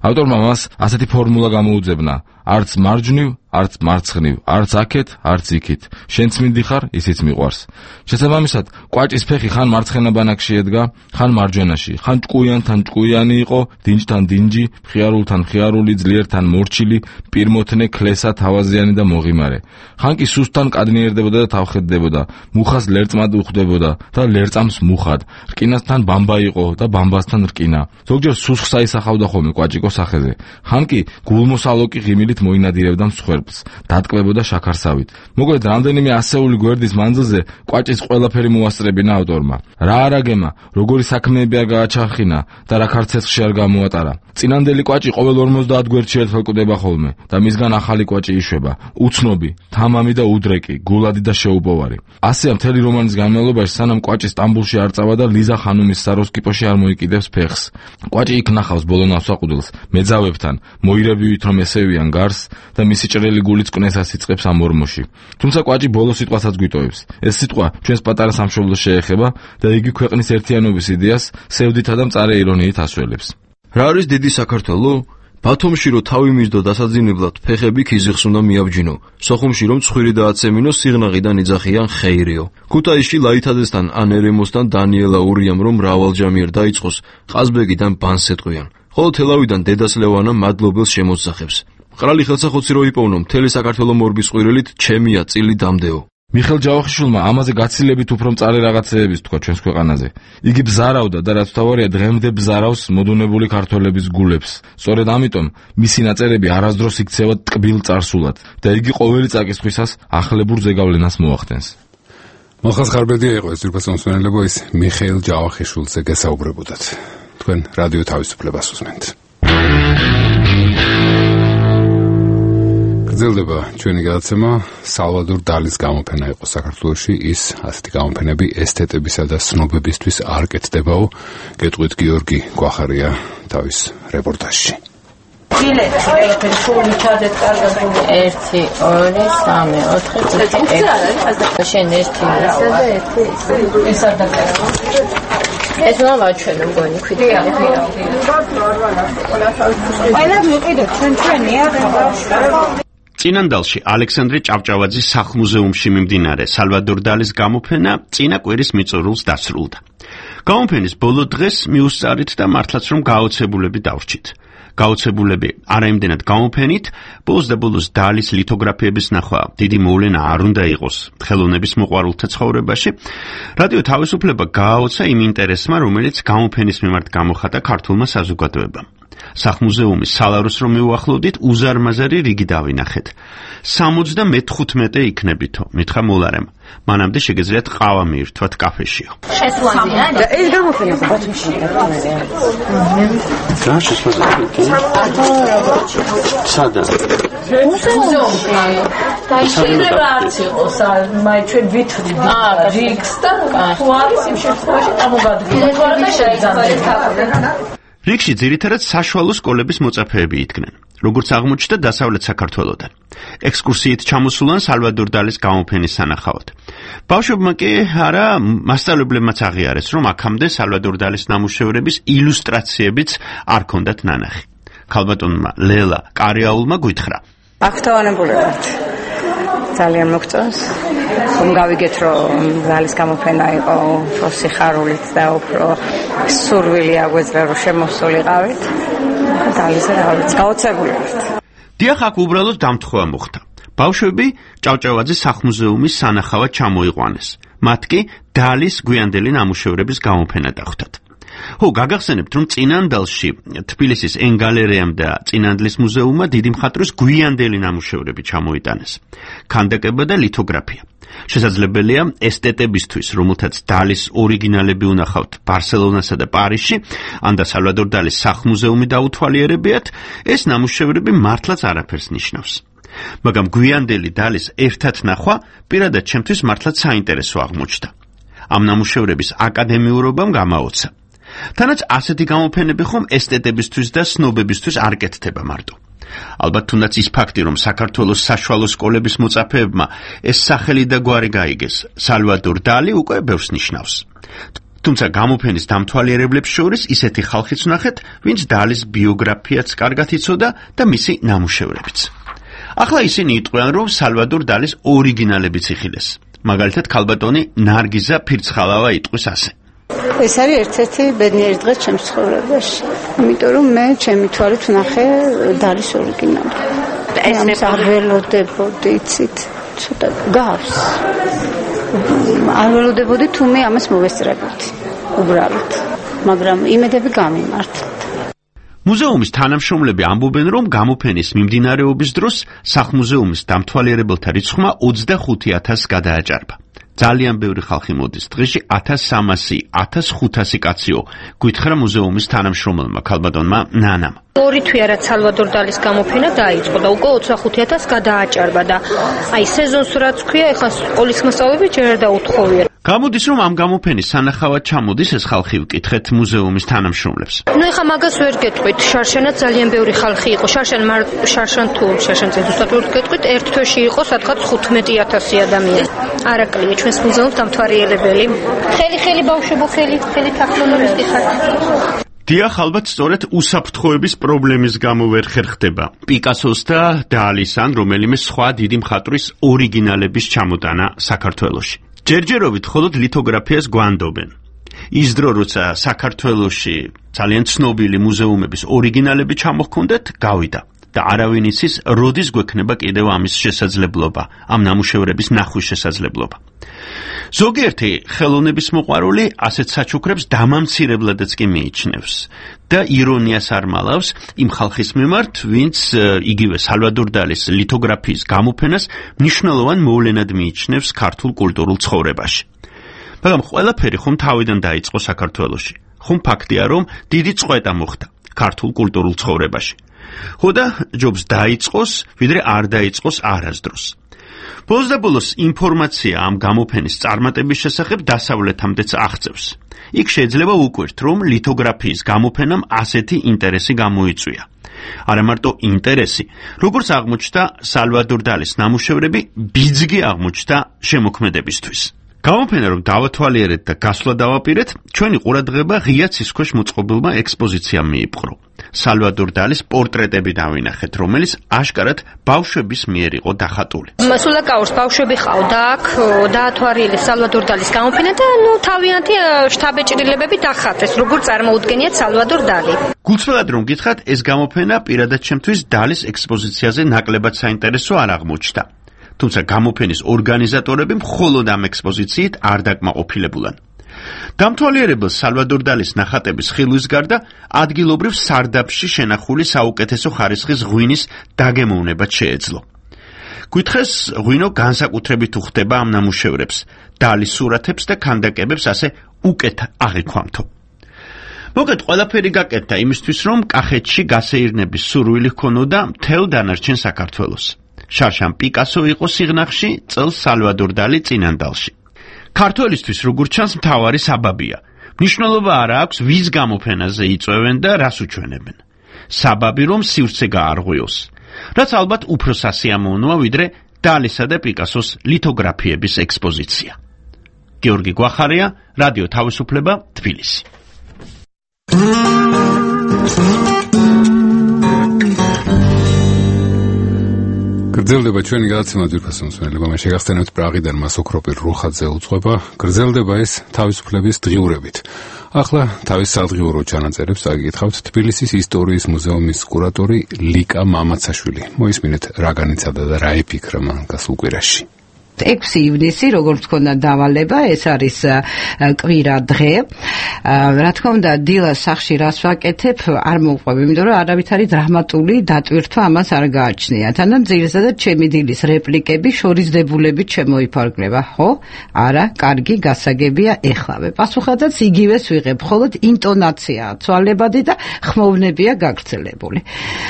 ავტორმა მას ასეთი ფორმულა გამოუძებნა: არც მარჯვნივ, არც მარცხნივ, არც აქეთ, არც იქით. შენც მინდიხარ, ისიც მიყვარს. შესაბამისად, კვაჭის ფეხი ხან მარცხენა ბანაკში ედგა, ხან მარჯვენაში, ხან ჭკუიანთან ჭკუიანი იყო, დინჯთან დინჯი, მხიარულთან მხიარული, ძლიერთან მორჩილი, პირმოთნე, ქლესა, თავაზიანი და მოღიმარე. ხან კი სუსტთან კადნიერდებოდა და თავხედდებოდა, მუხას ლერწმად უხდებოდა და ლერწამს მუხად. რკინასთან ბამბა იყო და ბამბასთან რკინა. ზოგჯერ სუსხს აისახავდა ხოლმე კვაჭიკოს სახეზე. ხან კი გულმოსალოკი ღიმილით მოინადირებდა მსხვერპლს, დატკბებოდა შაქარსავით. მოკლედ, რამდენიმე ასეული გვერდის მანძილზე კვაჭის ყველაფერი მოასწრებინა ავტორმა. რა არაგემა, როგორი საქმეები არ გააჩახინა და რა ქარცეცხლში არ გამოატარა. წინანდელი კვაჭი ყოველ ორმოცდაათ გვერდში ერთხელ კვდება ხოლმე და მისგან ახალი კვაჭი იშვება. უცნობი, თამამი და უდრეკი, გულადი და შეუპოვარი. ასეა მთელი რომანის განმავლობაში, სანამ კვაჭი სტამბულში არ წავა და ლიზა ხანუმის საროსკიპოში არ მოიკიდებს ფეხს. კვაჭი იქ ნახავს ბოლო ნავსაყუდელს, მეძავებთან, მოირებივით რომ ესევიან გარს და მისი ჭრელი გულიც კნესას იწყებს ამ ორმოში. თუმცა კვაჭი ბოლო სიტყვასაც გვიტოვებს. ეს სიტყვა ჩვენს პატარა სამშობლოს შეეხება და იგი ქვეყნის ერთიანობის იდეას სევდითა და მწარე ირონიით ასველებს. რა არის დიდი საქართველო? ბათუმში რო თავი მისდო დასაძინებლად ფეხები ქიზიხს უნდა მიაბჯინო. სოხუმში რომ ცხვირი დააცემინო სიღნაღიდან იძახიან ხეირიო. ქუთაისში ლაითაძესთან ან ერემოსთან დანიელა ურიამ რომ მრავალჯამიერ დაიწყოს ყაზბეგიდან ბანს ეტყვიან. ხოლო თელავიდან დედას ლევანა მადლობელს შემოსახებს. მყრალი ხელსახოცი რო იპოვნო მთელი საქართველო მორბის ყვირილით ჩემია წილი დამდეო. მიხეილ ჯავახიშვილმა ამაზე გაცილებით უფრო მწარე რაღაცეების თქვა ჩვენს ქვეყანაზე. იგი ბზარავდა და რაც თავარია დღემდე ბზარავს მოდუნებული ქართველების გულებს. სწორედ ამიტომ მისი ნაწერები არასდროს იქცევა ტკბილ წარსულად და იგი ყოველი წაკისხვისას ახლებურ ზეგავლენას მოახდენს. მახას ხარბედია იყო ეს ძირფას მომსვენელებო ის მიხეილ ჯავახიშვილზე გესაუბრებოდათ. თქვენ რადიო თავისუფლებას უსმენთ. გრძელდება ჩვენი გადაცემა. სალვადორ დალის გამოფენა იყო საქართველოში. ის ასეთი გამოფენები ესთეტებისა და ცნობებისთვის არ კეთდებაო. გეტყვით გიორგი გვახარია თავის რეპორტაჟში. ბილეთი ყველაფერი სულ ჩადეთ კარგად ერთი ორი სამი ოთხი ხუთი ექვსი შენ ერთი ისე და ერთი ეს არ დაკარგა ეს რა ვაჩვენო მგონი ქვითკარი ყველა მიყიდეთ ჩვენ ჩვენია წინანდალში ალექსანდრე ჭავჭავაძის სახლ-მუზეუმში მიმდინარე სალვადორ დალის გამოფენა წინა კვირის მიწურულს დასრულდა. გამოფენის ბოლო დღეს მიუსწარით და მართლაც რომ გაოცებულები დავრჩით. გაოცებულები არა იმდენად გამოფენით, ბოლოს და ბოლოს დალის ლითოგრაფიების ნახვა დიდი მოვლენა არ უნდა იყოს ხელოვნების მოყვარულთა ცხოვრებაში. რადიო თავისუფლება გააოცა იმ ინტერესმა, რომელიც გამოფენის მიმართ გამოხატა ქართულმა საზოგადოებამ. სახლ-მუზეუმის სალაროს რომ მიუახლოვდით, უზარმაზარი რიგი დავინახეთ. სამოცდამეთხუთმეტე იქნებითო, მითხრა მოლარემ. მანამდე შეგეძლიათ ყავა მიირთვათ კაფეშიო. შესვლაზია? ეს გამოფენა ბათუმში დაგწევია. და შესვლაზია? სადა? მუზეუმში. და შეიძლება არც იყოს, მაი ჩვენ ვითვლით რიგს და თუ არის იმ შემთხვევაში წარმოგადგინოთ და შეიძინოთ. რიგში ძირითადად საშუალო სკოლების მოწაფეები იდგნენ, როგორც აღმოჩნდა დასავლეთ საქართველოდან. ექსკურსიით ჩამოსულან სალვადორ დალის გამოფენის სანახავად. ბავშვებმა კი არა, მასწავლებლებმაც აღიარეს, რომ აქამდე სალვადორ დალის ნამუშევრების ილუსტრაციებიც არ ქონდათ ნანახი. ქალბატონმა ლელა კარიაულმა გვითხრა: აღთვალებული ვართ. ძალიან მოგწონს. რომ გავიგეთ, რომ დალის გამოფენა იყო უფრო სიხარულით და უფრო სურვილი აგვეძრა, რომ შემოსულიყავით. დალიზე რა ვიცი, გაოცებული ვართ. დიახ, აქ უბრალოდ დამთხოვა მოხდა. ბავშვები ჭავჭავაძის სახლ-მუზეუმის სანახავად ჩამოიყვანეს. მათ კი დალის გვიანდელი ნამუშევრების გამოფენა დახვდათ. ხო, გაგახსენებთ, რომ წინანდალში თბილისის ენგალერეამ და წინანდლის მუზეუმმა დიდი მხატვრის გვიანდელი ნამუშევრები ჩამოიტანეს. ქანდაკება და ლითოგრაფია. შესაძლებელია ესტეტებისთვის, რომელთაც დალის ორიგინალები უნახავთ ბარსელონასა და პარიზში, ან და სალვადორ დალის სახლ-მუზეუმი დაუთვალიერებიათ, ეს ნამუშევრები მართლაც არაფერს ნიშნავს. მაგრამ გვიანდელი დალის ერთად ნახვა პირადად ჩემთვის მართლაც საინტერესო აღმოჩნდა. ამ ნამუშევრების აკადემიურობამ გამაოცა. თანაც ასეთი გამოფენები ხომ ესტეტებისთვის და სნობებისთვის არ კეთდება მარტო. ალბათ თუნდაც ის ფაქტი, რომ საქართველოს საშუალო სკოლების მოწაფეებმა ეს სახელი და გვარი გაიგეს, სალვადორ დალი უკვე ბევრს ნიშნავს. თუმცა გამოფენის დამთვალიერებლებს შორის ისეთი ხალხიც ვნახეთ, ვინც დალის ბიოგრაფიაც კარგად იცოდა და მისი ნამუშევრებიც. ახლა ისინი იტყვიან, რომ სალვადორ დალის ორიგინალებიც იხილეს. მაგალითად, ქალბატონი ნარგიზა ფირცხალავა იტყვის ასე: ეს არის ერთ-ერთი ბედნიერი დღე ჩემს ცხოვრებაში, იმიტომ რომ მე ჩემი თვალით ვნახე დალის ორიგინალი. ეს არ ველოდებოდი, იცით, ცოტა გავს. არ ველოდებოდი თუ მე ამას მოვესწრებოდი, უბრალოდ. მაგრამ იმედები გამიმართლეთ. მუზეუმის თანამშრომლები ამბობენ, რომ გამოფენის მიმდინარეობის დროს სახლ-მუზეუმის დამთვალიერებელთა რიცხვმა ოცდახუთი ათასს გადააჭარბა. ძალიან ბევრი ხალხი მოდის დღეში ათას სამასი ათას ხუთასი კაციო, გვითხრა მუზეუმის თანამშრომელმა ქალბატონმა ნანამ. ორი თვეა რაც სალვადორ დალის გამოფენა დაიწყო და უკვე ოცდახუთი ათასს გადააჭარბა და აი სეზონს რაც ქვია, ეხლა სკოლის მასწავლებლები ჯერ არ დაუთხოვია. გამოდის, რომ ამ გამოფენის სანახავად ჩამოდის ეს ხალხი, ვკითხეთ მუზეუმის თანამშრომლებს. ნუ ეხლა მაგას ვერ გეტყვით, შარშანაც ძალიან ბევრი ხალხი იყო. შარშან მარ შარშან თუ შარშანს ზუსტად ვერ გეტყვით, ერთ თვეში იყო სადღაც ხუთმეტი ათასი ადამიანი. არაკლია ჩვენს მუზეუმს დამთვალიერებელი. ხელი ხელი ბავშვებო, ხელი ხელი თაფლონებისკი ხარ. დიახ, ალბათ სწორედ უსაფრთხოების პრობლემის გამო ვერ ხერხდება პიკასოს და დალის ან რომელიმე სხვა დიდი მხატვრის ორიგინალების ჩამოტანა საქართველოში. ჯერჯერობით მხოლოდ ლითოგრაფიას გვანდობენ. ის დრო, როცა საქართველოში ძალიან ცნობილი მუზეუმების ორიგინალები ჩამოჰქონდეთ, გავიდა და არავინ იცის, როდის გვექნება კიდევ ამის შესაძლებლობა, ამ ნამუშევრების ნახვის შესაძლებლობა. ზოგიერთი ხელოვნების მოყვარული ასეთ საჩუქრებს დამამცირებლადაც კი მიიჩნევს და ირონიას არ მალავს იმ ხალხის მიმართ, ვინც იგივე სალვადორ დალის ლითოგრაფიის გამოფენას მნიშვნელოვან მოვლენად მიიჩნევს ქართულ კულტურულ ცხოვრებაში. მაგრამ ყველაფერი ხომ თავიდან დაიწყო საქართველოში. ხომ ფაქტია, რომ დიდი წყვეტა მოხდა ქართულ კულტურულ ცხოვრებაში. ხო და ჯობს დაიწყოს, ვიდრე არ დაიწყოს არასდროს. ბოლოს და ბოლოს ინფორმაცია ამ გამოფენის წარმატების შესახებ დასავლეთამდეც აღწევს. იქ შეიძლება უკვირთ, რომ ლითოგრაფიის გამოფენამ ასეთი ინტერესი გამოიწვია. არა მარტო ინტერესი, როგორც აღმოჩნდა სალვადორ დალის ნამუშევრები ბიძგი აღმოჩნდა შემოქმედებისთვის. გამოფენა რომ დავათვალიერეთ და გასვლა დავაპირეთ, ჩვენი ყურადღება ღია ცისქვეშ მოწყობილმა ექსპოზიციამ მიიპყრო. სალვადორ დალის პორტრეტები დავინახეთ, რომელიც აშკარად ბავშვების მიერ იყო დახატული. სულაკაურს ბავშვები ყავდა აქ, დაათვალიერეს სალვადორ დალის გამოფენა და ნუ თავიანთი შთაბეჭდილებები დახატეს, როგორ წარმოუდგენიათ სალვადორ დალი. გულწრფელად რომ გითხრათ, ეს გამოფენა პირადად ჩემთვის დალის ექსპოზიციაზე ნაკლებად საინტერესო არ აღმოჩნდა. თუმცა გამოფენის ორგანიზატორები მხოლოდ ამ ექსპოზიციით არ დაკმაყოფილებულან. დამთვალიერებელ სალვადორ დალის ნახატების ხილვის გარდა ადგილობრივ სარდაფში შენახული საუკეთესო ხარისხის ღვინის დაგემოვნებაც შეეძლო. გითხეს, ღვინო განსაკუთრებით უხდება ამ ნამუშევრებს, დალის სურათებს და ქანდაკებებს ასე უკეთ აღიქვამთო. მოგეთ ყველაფერი გაკეთდა იმისთვის, რომ კახეთში გასეირნების სურვილი ჰქონოდა მთელ დანარჩენ საქართველოს. შარშან პიკასო იყო სიღნაღში, წელს სალვადორ დალი წინანდალში. ქართველისთვის როგორც ჩანს მთავარი საბაბია. მნიშვნელობა არ აქვს ვის გამოფენაზე იწვევენ და რას უჩვენებენ. საბაბი რომ სივრცე გაარღვიოს, რაც ალბათ უფრო სასიამოვნოა ვიდრე დალისა და პიკასოს ლითოგრაფიების ექსპოზიცია. გიორგი გვახარია, რადიო თავისუფლება, თბილისი. გრძელდება ჩვენი გადაცემა ძვირფასო მსმენელებო, მე შეგახსენებთ პრაღიდან მას ოქროპირ რუხაძე უძღვება. გრძელდება ეს თავისუფლების დღიურებით. ახლა თავის სადღიურო ჩანაწერებს აგიკითხავთ თბილისის ისტორიის მუზეუმის კურატორი ლიკა მამაცაშვილი. მოისმინეთ რა განიცადა და რა იფიქრა მან გასულ კვირაში. ექვსი ივნისი, როგორც თქვა დავალება, ეს არის კვირა დღე. რა თქმა უნდა, დილას სახში რას ვაკეთებ, არ მოვყვები, იმიტომ რომ არავით არის დრამატული დატვირთვა ამას არ გააჩნია. თანამ ძირითადად ჩემი დილის რეპლიკები შორისდებულებით შემოიფარგლება. ხო? არა, კარგი, გასაგებია, ეხლავე. პასუხადაც იგივეს ვიღებ, მხოლოდ ინტონაციაა ცვალებადი და ხმოვნებია გაგრძელებული.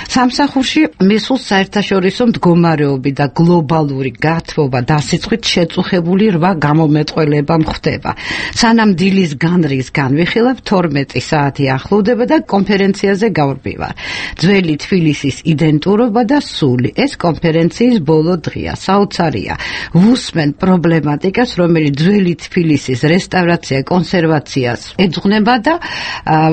სამსახურში მისულს საერთაშორისო მდგომარეობი და გლობალური გათბობა და სიცხით შეწუხებული რვა გამომეტყველება მხდება. სანამ დილის განრის განვიხილებ, თორმეტი საათი ახლოვდება და კონფერენციაზე გავრბივარ. ძველი თბილისის იდენტურობა და სული. ეს კონფერენციის ბოლო დღეა, საოცარია. ვუსმენ პრობლემატიკას, რომელიც ძველი თბილისის რესტავრაცია, კონსერვაციას ეძღვნება და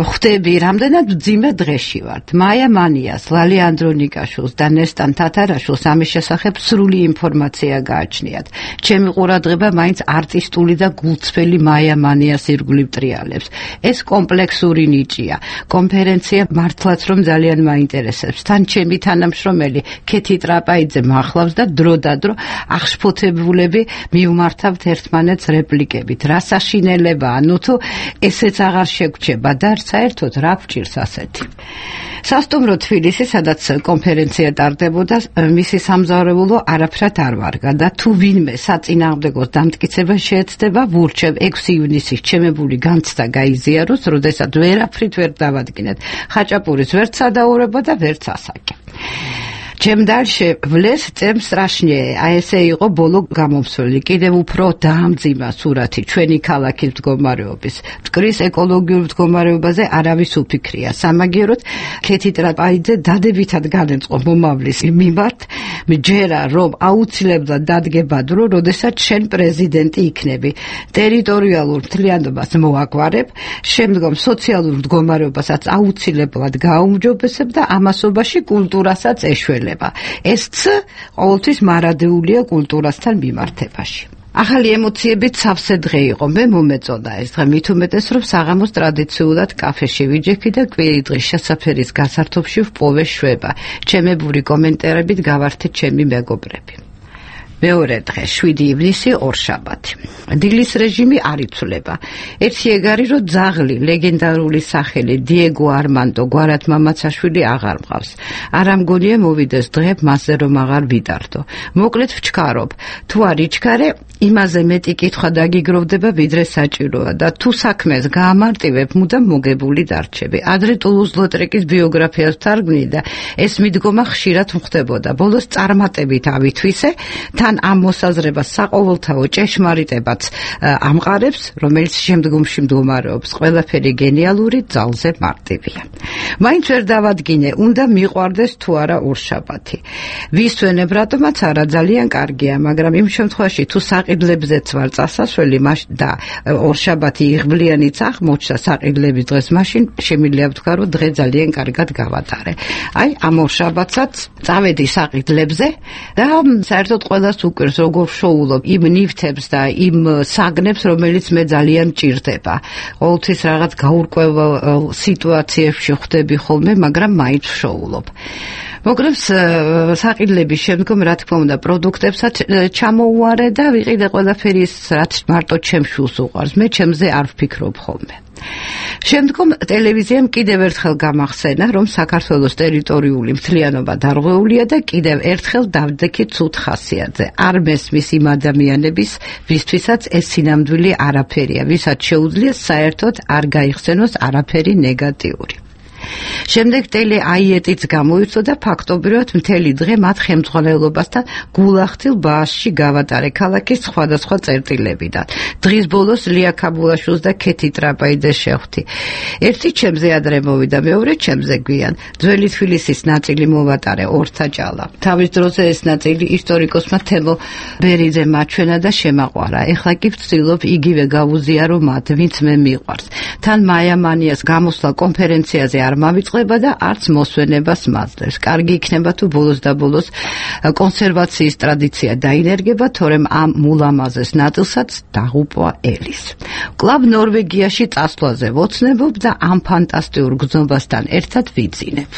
ხვდები, რამდენად მძიმე დღეში ვართ. მაია მანიას, ლალი ანდრონიკაშვილს და ნესტან თათარაშვილს ამის შესახებ სრული ინფორმაცია გააჩნიათ. ჩემი ყურადღება მაინც არტისტული და გულწრფელი მაია მანიას ირგვლივ ტრიალებს. ეს კომპლექსური ნიჭია. კონფერენცია მართლაც რომ ძალიან მაინტერესებს. თან ჩემი თანამშრომელი ქეთი ტრაპაიძე მახლავს და დრო და დრო აღშფოთებულები მივმართავთ ერთმანეთს რეპლიკებით. რა საშინელებაა, ნუ თუ ესეც აღარ შეგრჩება და საერთოდ რა გვჭირს ასეთი. სასტუმრო თბილისი, სადაც კონფერენცია ტარდებოდა, მისი სამზარეულო არაფრად არ ვარგა და თუ ვინმე საწინააღმდეგოს დამტკიცება შეეცდება, ვურჩევ ექვსი ივნისის ჩემებული განცდა გაიზიაროს, როდესაც ვერაფრით ვერ დავადგინეთ. ხაჭაპურის ვერც სადაურება და ვერც ასაკი. ჩემ დარში ვლეს წემ სტრაშნიე. აი ესე იყო ბოლო გამომსვლელი. კიდევ უფრო დაამძიმა სურათი ჩვენი ქალაქის მდგომარეობის. მტკრის ეკოლოგიურ მდგომარეობაზე არავის უფიქრია. სამაგიეროდ ქეთი ტრაპაიძე დადებითად განეწყო მომავლის მიმართ. მჯერა რომ აუცილებლად დადგება დრო, როდესაც შენ პრეზიდენტი იქნები. ტერიტორიალურ მთლიანობას მოაგვარებ, შემდგომ სოციალურ მდგომარეობასაც აუცილებლად გააუმჯობესებ და ამასობაში კულტურასაც ეშველებ. ეს ც ყოველთვის მარადეულია კულტურასთან მიმართებაში. ახალი ემოციებით სავსე დღე იყო. მე მომეწონა ეს დღე, მით უმეტეს რომ საღამოს ტრადიციულად კაფეში ვიჯექი და კვირი დღის შესაფერის გასართობში ვპოვე შვება. ჩემებური კომენტარებით გავართე ჩემი მეგობრები. მეორე დღე, შვიდი ივნისი, ორშაბათი. დილის რეჟიმი არ იცვლება. ერთი ეგარი რომ ძაღლი, ლეგენდარული სახელი დიეგო არმანდო გვარად მამაცაშვილი აღარ მყავს. არ ამგონია მოვიდეს დღე მასზე რომ აღარ ვიტარდო. მოკლედ ვჩქარობ. თუ არ იჩქარე, იმაზე მეტი კითხვა დაგიგროვდება ვიდრე საჭიროა და თუ საქმეს გაამარტივებ, მუდამ მოგებული დარჩები. ადრე ტულუზ-ლოტრეკის ბიოგრაფიას ვთარგმნი და ეს მიდგომა ხშირად მხდებოდა. ბოლოს წარმატებით ავითვისე, თან თან ამ მოსაზრებას საყოველთაო ჭეშმარიტებაც ამყარებს, რომელიც შემდგომში მდგომარეობს. ყველაფერი გენიალური, ძალზე მარტივია. მაინც ვერ დავადგინე, უნდა მიყვარდეს თუ არა ორშაბათი. ვისვენებ, რატომაც არა, ძალიან კარგია, მაგრამ იმ შემთხვევაში თუ საყიდლებზეც ვარ წასასვლელი და ორშაბათი იღბლიანიც აღმოჩნდა საყიდლების დღეს, მაშინ შემიძლია ვთქვა, რომ დღე ძალიან კარგად გავატარე. აი, ამ ორშაბათსაც წავედი საყიდლებზე და საერთოდ ყველას უკვირს, როგორ ვშოულობ იმ ნივთებს და იმ საგნებს, რომელიც მე ძალიან მჭირდება. ყოველთვის რაღაც გაურკვეველ სიტუაციებში ხვდები ხოლმე, მაგრამ მაინც ვშოულობ. მოგრებს საყიდლების შემდგომ, რა თქმა უნდა, პროდუქტებსაც ჩამოუვარე და ვიყიდე ყველაფერი ის, რაც მარტო ჩემს შულს უყვარს. მე ჩემზე არ ვფიქრობ ხოლმე. შემდგომ ტელევიზიამ კიდევ ერთხელ გამახსენა, რომ საქართველოს ტერიტორიული მთლიანობა დარღვეულია და კიდევ ერთხელ დავდექი ცუდ ხასიათზე. არ მესმის იმ ადამიანების, ვისთვისაც ეს სინამდვილე არაფერია, ვისაც შეუძლია საერთოდ არ გაიხსენოს არაფერი ნეგატიური. შემდეგ ტელე აიეტიც გამოიწვია და ფაქტობრივად მთელი დღე მათ ხელმძღვანელობასთან გულახდილ ბაასში გავატარე ქალაქის სხვადასხვა წერტილებიდან. დღის ბოლოს ლია ქაბულაშვილს და ქეთი ტრაპაიძეს შევხვდი. ერთი ჩემზე ადრე მოვიდა, მეორე ჩემზე გვიან. ძველი თბილისის ნაწილი მოვატარე ორთაჭალა. თავის დროზე ეს ნაწილი ისტორიკოსმა თემო ბერიძემ აჩვენა და შემაყვარა. ეხლა კი ვცდილობ იგივე გავუზიარო მათ, ვინც მე მიყვარს. თან მაია მანიას გამოსვლა კონფერენციაზე არ მავიწყდება და არც მოსვენებას მაძლევს. კარგი იქნება თუ ბოლოს და ბოლოს კონსერვაციის ტრადიცია დაინერგება, თორემ ამ მულამაზეს ნაწილსაც დაღუპვა ელის. კლავ ნორვეგიაში წასვლაზე ვოცნებობ და ამ ფანტასტიურ გრძნობასთან ერთად ვიძინებ.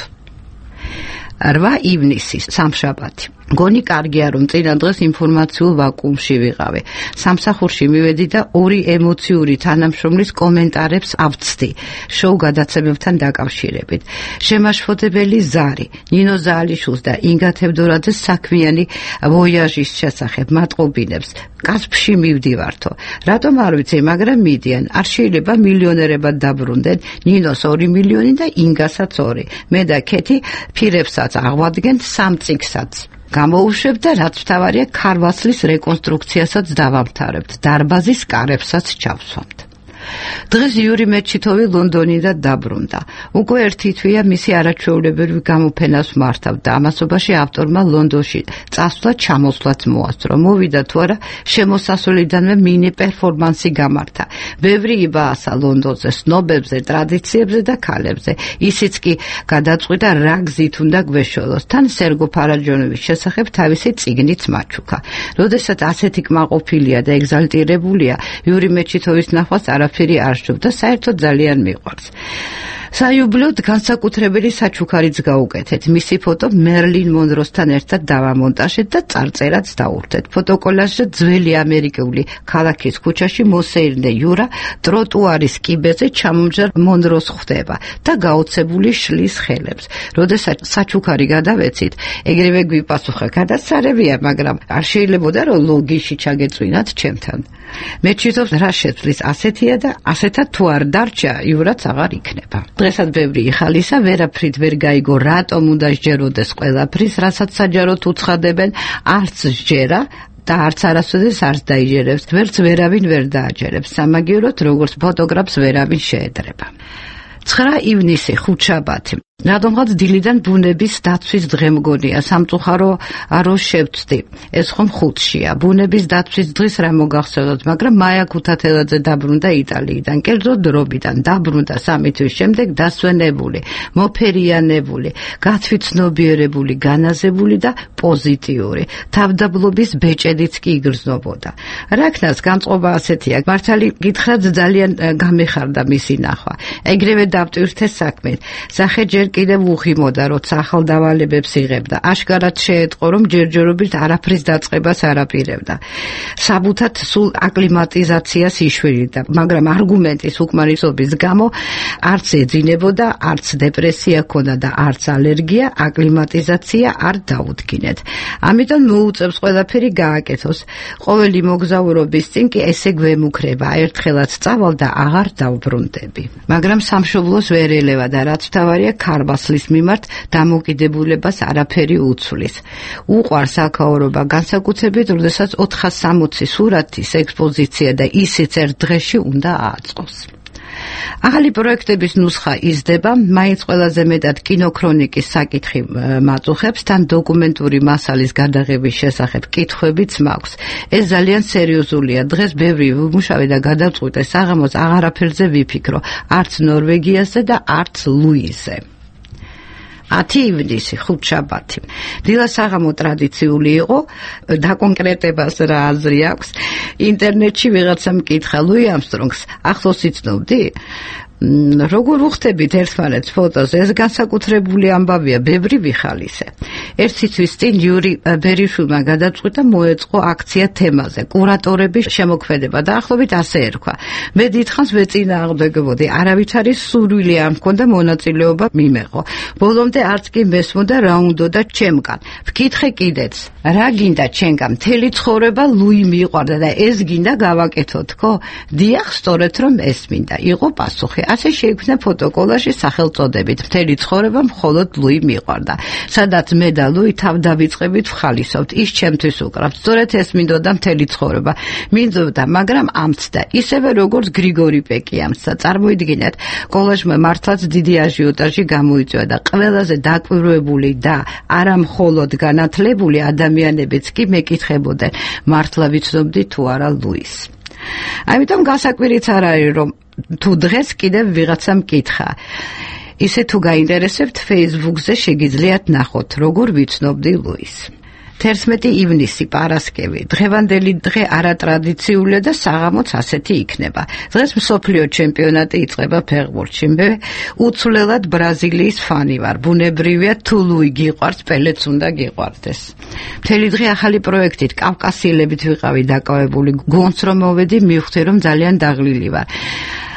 რვა ივნისი, სამშაბათი. გონი კარგია, რომ წინა დღეს ინფორმაციულ ვაკუუმში ვიყავი. სამსახურში მივედი და ორი ემოციური თანამშრომლის კომენტარებს ავწდი შოუ გადაცემებთან დაკავშირებით. შემაშფოთებელი ზარი, ნინო ზაალიშვილს და ინგა თევდორაძეს საქმიანი ვოიაჟის შესახებ მატყობინებს. კასპში მივდივართო. რატომ არ ვიცი, მაგრამ მიდიან. არ შეიძლება მილიონერებად დაბრუნდნენ, ნინოს ორი მილიონი და ინგასაც ორი. მე და ქეთი ფირებსაც აღვადგენ სამ წიგნსაც. გამოუშვებ და რაც მთავარია, ქარვასლის რეკონსტრუქციასაც დავამთავრებთ, დარბაზის კარებსაც ჩავსვამთ. დღეს იური მეჩითოვი ლონდონიდან დაბრუნდა. უკვე ერთი თვეა მისი არაჩვეულებრივი გამოფენას მართავ და ამასობაში ავტორმა ლონდონში წასვლა ჩამოსვლაც მოასწრო. მოვიდა თუ არა, შემოსასვლელიდანვე მინი პერფორმანსი გამართა. ბევრი იბაასა ლონდონზე, სნობებზე, ტრადიციებზე და ქალებზე. ისიც კი გადაწყვიტა რა გზით უნდა გვეშველოს. თან სერგო ფარაჯონოვის შესახებ თავისი წიგნიც მაჩუქა. როდესაც ასეთი კმაყოფილია და ეგზალტირებულია, იური მეჩითოვის ნახვას არა ფერი არ შევდა, საერთოდ ძალიან მიყვარს. საიუბილეოდ განსაკუთრებელი საჩუქარიც გაუკეთეთ. მისი ფოტო მერლინ მონროსთან ერთად დავამონტაჟეთ და წარწერაც დაურთეთ. ფოტოკოლაჟზე ძველი ამერიკული ქალაქის ქუჩაში მოსეირნე იურა ტროტუარის კიბეზე ჩამომჯერ მონროს ხვდება და გაოცებული შლის ხელებს. როდესაც საჩუქარი გადავეცით, ეგრევე გვიპასუხა, გადასარევია, მაგრამ არ შეიძლებოდა რომ ლოგიში ჩაგეწვინათ ჩემთან. მეჩითოვს რა შეცვლის ასეთია და ასეთად თუ არ დარჩა, იურაც აღარ იქნება. დღესაც ბევრი იხალისა, ვერაფრით ვერ გაიგო, რატომ უნდა სჯეროდეს ყველაფრის, რასაც საჯაროდ უცხადებენ, არც სჯერა და არც არასოდეს არც დაიჯერებს, ვერც ვერავინ ვერ დააჯერებს. სამაგიეროდ, როგორც ფოტოგრაფს ვერავინ შეედრება. ცხრა ივნისი, ხუთშაბათი. რადგანაც დილიდან ბუნების დაცვის დღე მგონია, სამწუხარო არო შევწდი. ეს ხომ ხუთშია. ბუნების დაცვის დღის რა მოგახსენოთ, მაგრამ მაია ქუთათელაძე დაბრუნდა იტალიიდან, კერძოდ დრობიდან. დაბრუნდა სამი თვის შემდეგ დასვენებული, მოფერიანებული, გათვითცნობიერებული, განაზებული და პოზიტიური. თავდაბლობის ბეჭედიც კი იგრძნობოდა. რაკნას განწყობა ასეთია, მართალი გითხრათ ძალიან გამეხარდა მისი ნახვა. ეგრევე დავტვირთე საქმეთ. სახე ჯერ კიდევ უხიმოდა, როცა ახალ დავალებებს იღებდა. აშკარად შეეტყო, რომ ჯერჯერობით არაფრის დაწყებას არ აპირებდა. საბუთად სულ აკლიმატიზაციას იშველიდა, მაგრამ არგუმენტის უკმარისობის გამო არც ეძინებოდა, არც დეპრესია ჰქონდა და არც ალერგია, აკლიმატიზაცია არ დაუდგინეთ. ამიტომ მოუწევს ყველაფერი გააკეთოს. ყოველი მოგზაურობის წინ კი ესე გვემუქრება, ერთხელაც წავალ და აღარ დავბრუნდები. მაგრამ სამშობლო სასწავლოს ვერ ელევა და რაც მთავარია ქარბასლის მიმართ დამოკიდებულებას არაფერი უცვლის. უყვარს აქაურობა განსაკუთრებით, როდესაც ოთხას სამოცი სურათის ექსპოზიცია და ისიც ერთ დღეში უნდა აწყოს. ახალი პროექტების ნუსხა იზრდება, მაინც ყველაზე მეტად კინოქრონიკის საკითხი მაწუხებს, თან დოკუმენტური მასალის გადაღების შესახებ კითხვებიც მაქვს. ეს ძალიან სერიოზულია. დღეს ბევრი ვიმუშავე და გადავწყვიტე საღამოს აღარაფერზე ვიფიქრო, არც ნორვეგიაზე და არც ლუიზზე. ათი ივნისი, ხუთშაბათი. დილა საღამო ტრადიციული იყო, დაკონკრეტებას რა აზრი აქვს. ინტერნეტში ვიღაცამ მკითხა, ლუი ამსტრონგს ახლოს იცნობდი? როგორ უხდებით ერთმანეთს ფოტოს? ეს განსაკუთრებული ამბავია, ბევრი ვიხალისე. ერთი თვის წინ იური ბერიშვილმა გადაწყვიტა მოეწყო აქცია თემაზე, კურატორების შემოქმედება და ახლობით ასე ერქვა. მე დიდხანს ვეწინააღმდეგებოდი, არავითარი სურვილი არ მქონდა მონაწილეობა მიმეღო. ბოლომდე არც კი მესმოდა რა უნდოდა ჩემგან. ვკითხე კიდეც, რა გინდა ჩემგან? მთელი ცხოვრება ლუი მიყვარდა და ეს გინდა გავაკეთო თქო? დიახ, სწორედ რომ ეს მინდა. იყო პასუხი. ასე შეიქმნა ფოტოკოლაჟი სახელწოდებით მთელი ცხოვრება მხოლოდ ლუი მიყვარდა. სადაც მე და ლუი თავდავიწყებით ვხალისობთ, ის ჩემთვის უკრავთ. სწორედ ეს მინდოდა მთელი ცხოვრება. მინდოდა, მაგრამ ამცდა, ისევე როგორც გრიგორი პეკი ამცდა. წარმოიდგინეთ, კოლაჟმა მართლაც დიდი აჟიოტაჟი გამოიწვია და ყველაზე დაკვირვებული და არა მხოლოდ განათლებული ადამიანებიც კი მეკითხებოდნენ, მართლა ვიცნობდი თუ არა ლუის. ამიტომ გასაკვირიც არ არის, რომ თუ დღეს კიდევ ვიღაცა მკითხა. ისე თუ გაინტერესებთ, Facebook-ზე შეგიძლიათ ნახოთ, როგორ ვიცნობდი ლუის. თერთმეტი ივნისი, პარასკევი. დღევანდელი დღე არატრადიციულია და საღამოც ასეთი იქნება. დღეს მსოფლიო ჩემპიონატი იწყება ფეხბურთში. მე უცვლელად ბრაზილიის ფანი ვარ. ბუნებრივია, თუ ლუი გიყვარს, პელეც უნდა გიყვარდეს. მთელი დღე ახალი პროექტით, კავკასიელებით ვიყავი დაკავებული. გონს რომ მოვედი, მივხვდი რომ ძალიან დაღლილი ვარ.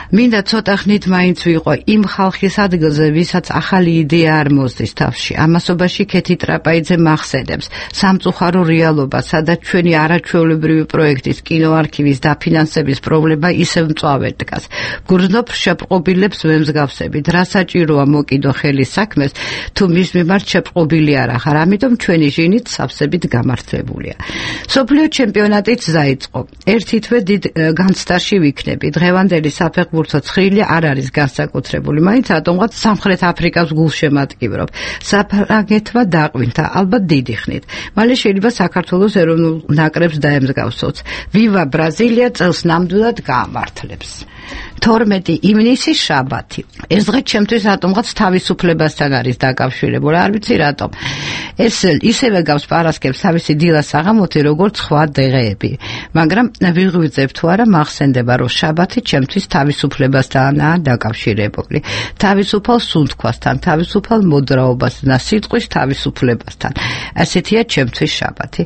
მინდა ცოტა ხნით მაინც ვიყო იმ ხალხის ადგილზე, ვისაც ახალი იდეა არ მოსდის თავში. ამასობაში ქეთი ტრაპაიძე მახსენებს სამწუხარო რეალობა, სადაც ჩვენი არაჩვეულებრივი პროექტის კინოარქივის დაფინანსების პრობლემა ისევ მწვავედ დგას. გრძნობ შეპყრობილებს ვემსგავსებით, რა საჭიროა მოკიდო ხელი საქმეს, თუ მის მიმართ შეპყრობილი არ ახარ, ამიტომ ჩვენი ჟინით სავსებით გამართლებულია. მსოფლიო ჩემპიონატიც დაიწყო. ერთი თვე დიდ განცდაში ვიქნები. დღევანდელი საფეხბურთო ცხრილი არ არის განსაკუთრებული, მაინც რატომღაც სამხრეთ აფრიკას გულშემატკივრობ. საფრანგეთმა დაყვინთა, ალბათ დიდი ხნით. მალე შეიძლება საქართველოს ეროვნულ ნაკრებს დაემსგავსოთ. ვივა ბრაზილია წელს ნამდვილად გაამართლებს. თორმეტი ივნისი, შაბათი. ეს დღე ჩემთვის რატომღაც თავისუფლებასთან არის დაკავშირებული, არ ვიცი რატომ. ეს ისევე გავს პარასკევს თავისი დილა საღამოთი, როგორც სხვა დღეები. მაგრამ ვიღვიძებ თუ არა, მახსენდება, რომ შაბათი ჩემთვის თავისუფლებასთანაა დაკავშირებული. თავისუფალ სუნთქვასთან, თავისუფალ მოძრაობასთან და სიტყვის თავისუფლებასთან. ასეთია ჩემთვის შაბათი.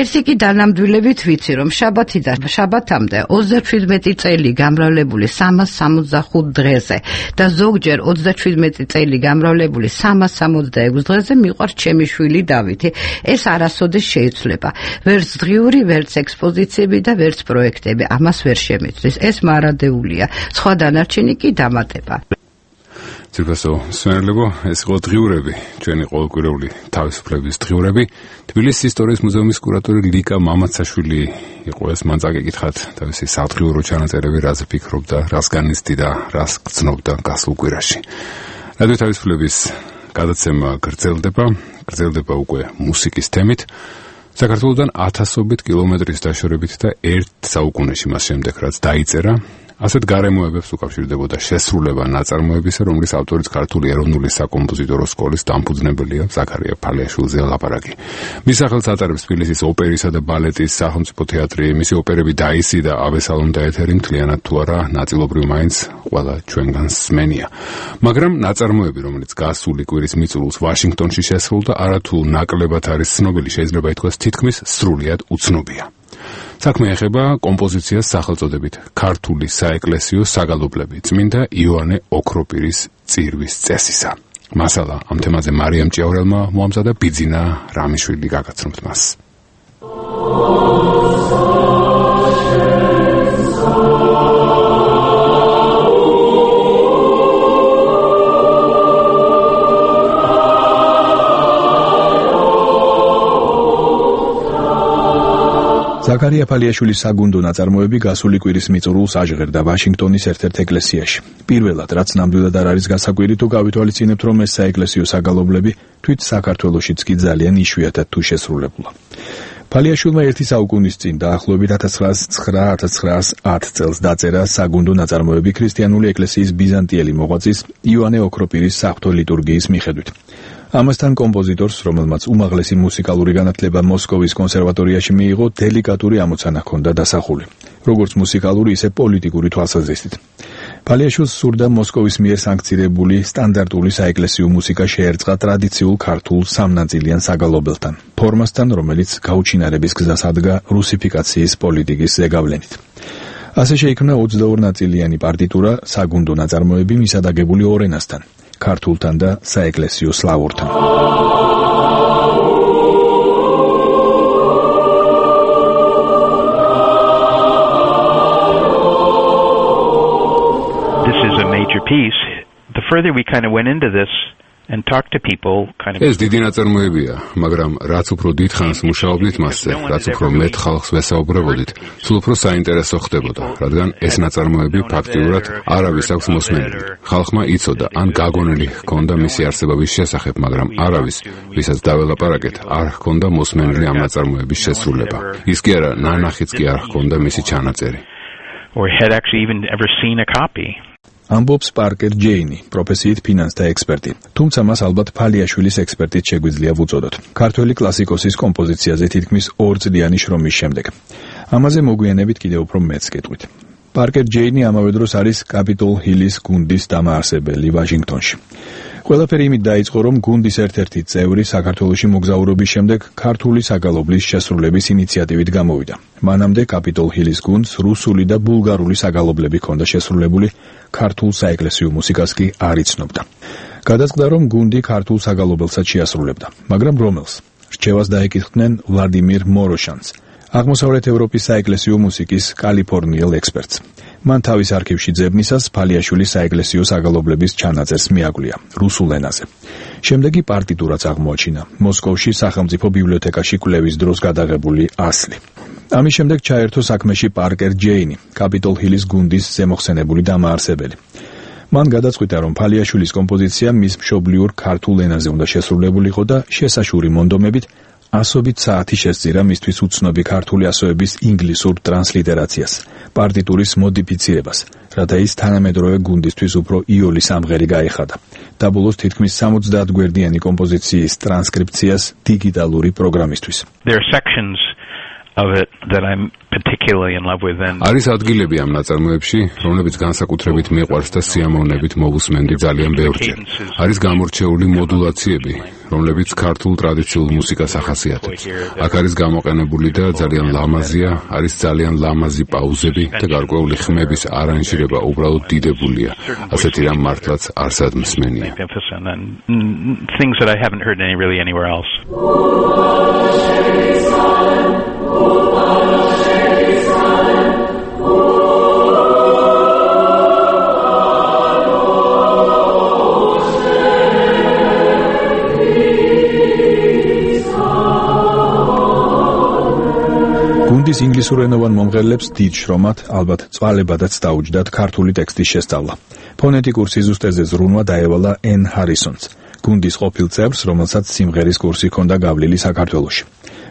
ერთი კი დანამდვილებით ვიცი, რომ შაბათი და შაბათამდე ოცდაშვიდმეტი წელი გამრავლებული სამას სამოცდახუთ დღეზე და ზოგჯერ ოცდაშვიდმეტი წელი გამრავლებული სამას სამოცდაექვს დღეზე მიყვარს ჩემი შვილი დავითი. ეს არასოდეს შეიცვლება. ვერც დღიური, ვერც ექსპოზიციები და ვერც პროექტები ამას ვერ შემეცვლის. ეს მარადეულია. სხვა დანარჩენი კი დამატება. ძირფასო სვენელებო, ეს იყო დღიურები, ჩვენი ყოველკვირეული თავისუფლების დღიურები. თბილისის ისტორიის მუზეუმის კურატორი ლიკა მამაცაშვილი იყო ეს, მან წაგეკითხათ თავისი სადღიურო ჩანაწერები, რაზე ფიქრობდა, რას განიცდიდა, რას გრძნობდა გასულ კვირაში. რადიო თავისუფლების გადაცემა გრძელდება, გრძელდება უკვე მუსიკის თემით. საქართველოდან ათასობით კილომეტრის დაშორებით და ერთ საუკუნეში მას შემდეგ, რაც დაიწერა, ასეთ გარემოებებს უკავშირდებოდა შესრულება ნაწარმოებისა, რომლის ავტორიც ქართული ეროვნული საკომპოზიტორო სკოლის დამფუძნებელია ზაქარია ფალიაშვილზეა ლაპარაკი. მის სახელს ატარებს თბილისის ოპერისა და ბალეტის სახელმწიფო თეატრი, მისი ოპერები დაისი და აბესალომ და ეთერი მთლიანად თუ არა ნაწილობრივ მაინც ყველა ჩვენგან სმენია. მაგრამ ნაწარმოები, რომელიც გასული კვირის მიწურულს ვაშინგტონში შესრულდა, არათუ ნაკლებად არის ცნობილი, შეიძლება ითქვას თითქმის სრულიად უცნობია. საქმე ეხება კომპოზიციას სახელწოდებით ქართული საეკლესიო საგალობლები წმინდა იოანე ოქროპირის წირვის წესისა. მასალა ამ თემაზე მარიამ ჭიაურელმა მოამზადა, ბიძინა რამიშვილი გაგაცნობთ მას. ზაქარია ფალიაშვილის საგუნდო ნაწარმოები გასული კვირის მიწურულს აჟღერდა ვაშინგტონის ერთ-ერთ ეკლესიაში. პირველად, რაც ნამდვილად არ არის გასაკვირი, თუ გავითვალისწინებთ, რომ ეს საეკლესიო საგალობლები თვით საქართველოშიც კი ძალიან იშვიათად თუ შესრულებულა. ფალიაშვილმა ერთი საუკუნის წინ დაახლოებით ათას ცხრაას ცხრა - ათას ცხრაას ათ წელს დაწერა საგუნდო ნაწარმოები ქრისტიანული ეკლესიის ბიზანტიელი მოღვაწის იოანე ოქროპირის საღვთო ლიტურგიის მიხედვით. ამასთან კომპოზიტორს, რომელმაც უმაღლესი მუსიკალური განათლება მოსკოვის კონსერვატორიაში მიიღო, დელიკატური ამოცანა ჰქონდა დასახული, როგორც მუსიკალური, ისე პოლიტიკური თვალსაზრისით. ფალიაშვილს სურდა მოსკოვის მიერ სანქცირებული სტანდარტული საეკლესიო მუსიკა შეერწყა ტრადიციულ ქართულ სამნაწილიან საგალობელთან, ფორმასთან, რომელიც გაუჩინარების გზას ადგა რუსიფიკაციის პოლიტიკის ზეგავლენით. ასე შეიქმნა ოცდაორ-ნაწილიანი პარტიტურა, საგუნდო ნაწარმოები მისადაგებული ორ ენასთან, ქართულთან და საეკლესიო სლავურთან. This is a major piece. The further we kind of went into this and talked to people kind of ეს დიდი ნაწარმოებია, მაგრამ რაც უფრო დიდხანს მუშაობდით მასზე, რაც უფრო მეტ ხალხს ვესაუბრებოდით, სულ უფრო საინტერესო ხდებოდა, რადგან ეს ნაწარმოები ფაქტიურად არავის აქვს მოსმენილი. ხალხმა იცოდა, ან გაგონილი ჰქონდა მისი არსებობის შესახებ, მაგრამ არავის, ვისაც დაველაპარაკეთ, არ ჰქონდა მოსმენილი ამ ნაწარმოების შესრულება. ის კი არა, ნანახიც კი არ ჰქონდა მისი ჩანაწერი. or had actually even ever seen a copy. ამბობს პარკერ ჯეინი, პროფესიით ფინანსთა ექსპერტი. თუმცა მას ალბათ ფალიაშვილის ექსპერტით შეგვიძლია ვუწოდოთ. ქართველი კლასიკოსის კომპოზიციაზე თითქმის ორწლიანი შრომის შემდეგ. ამაზე მოგვიანებით კიდევ უფრო მეც გეტყვით. პარკერ ჯეინი ამავე დროს არის კაპიტოლ ჰილის გუნდის დამაარსებელი ვაშინგტონში. ყველაფერი იმით დაიწყო, რომ გუნდის ერთ-ერთი წევრი საქართველოში მოგზაურობის შემდეგ ქართული საგალობლის შესრულების ინიციატივით გამოვიდა. მანამდე კაპიტოლ ჰილის გუნდს რუსული და ბულგარული საგალობლები ჰქონდა შესრულებული, ქართულ საეკლესიო მუსიკას კი არ იცნობდა. გადაწყდა, რომ გუნდი ქართულ საგალობელსაც შეასრულებდა, მაგრამ რომელს? რჩევას დაეკითხდნენ ვლადიმირ მოროშანს, აღმოსავლეთ ევროპის საეკლესიო მუსიკის კალიფორნიელ ექსპერტს. მან თავის არქივში ძებნისას ფალიაშვილის საეკლესიო საგალობლების ჩანაწერს მიაგვლია რუსულ ენაზე. შემდეგ კი პარტიტურაც აღმოაჩინა მოსკოვში სახელმწიფო ბიბლიოთეკაში კვლევის დროს გადაღებული ასლი. ამის შემდეგ ჩაერთო საქმეში პარკერ ჯეინი, კაპიტოლ ჰილის გუნდის ზემოხსენებული დამაარსებელი. მან გადაწყვიტა, რომ ფალიაშვილის კომპოზიცია მის მშობლიურ ქართულ ენაზე უნდა შესრულებულიყო და შესაშური მონდომებით ასობით საათი შესწირა მისთვის უცნობი ქართული ასოების ინგლისურ ტრანსლიტერაციას, პარტიტურის მოდიფიცირებას, რათა ის თანამედროვე გუნდისთვის უფრო იოლი სამღერი გაეხადა და ბოლოს თითქმის სამოცდაათ გვერდიანი კომპოზიციის ტრანსკრიფციას დიგიტალური პროგრამისთვის. There are sections of it that I'm particularly in love with and არის ადგილები ამ ნაწარმოებში, რომლებიც განსაკუთრებით მიყვარს და სიამოვნებით მოვუსმენდი ძალიან ბევრჯერ. არის გამორჩეული მოდულაციები, რომლებიც ქართულ ტრადიციულ მუსიკას ახასიათებს. აქ არის გამოყენებული და ძალიან ლამაზია, არის ძალიან ლამაზი პაუზები და გარკვეული ხმების არანჟირება უბრალოდ დიდებულია. ასეთი რამ მართლაც არ სადმსმენია. things that I haven't heard any really anywhere else. გუნდის ინგლისურენოვან მომღერლებს დიდ შრომად, ალბათ წვალებადაც დაუჯდათ ქართული ტექსტის შესწავლა. ფონეტიკურ სიზუსტეზე ზრუნვა დაევალა ენ ჰარისონს, გუნდის ყოფილ წევრს, რომელსაც სიმღერის კურსი ჰქონდა გავლილი საქართველოში.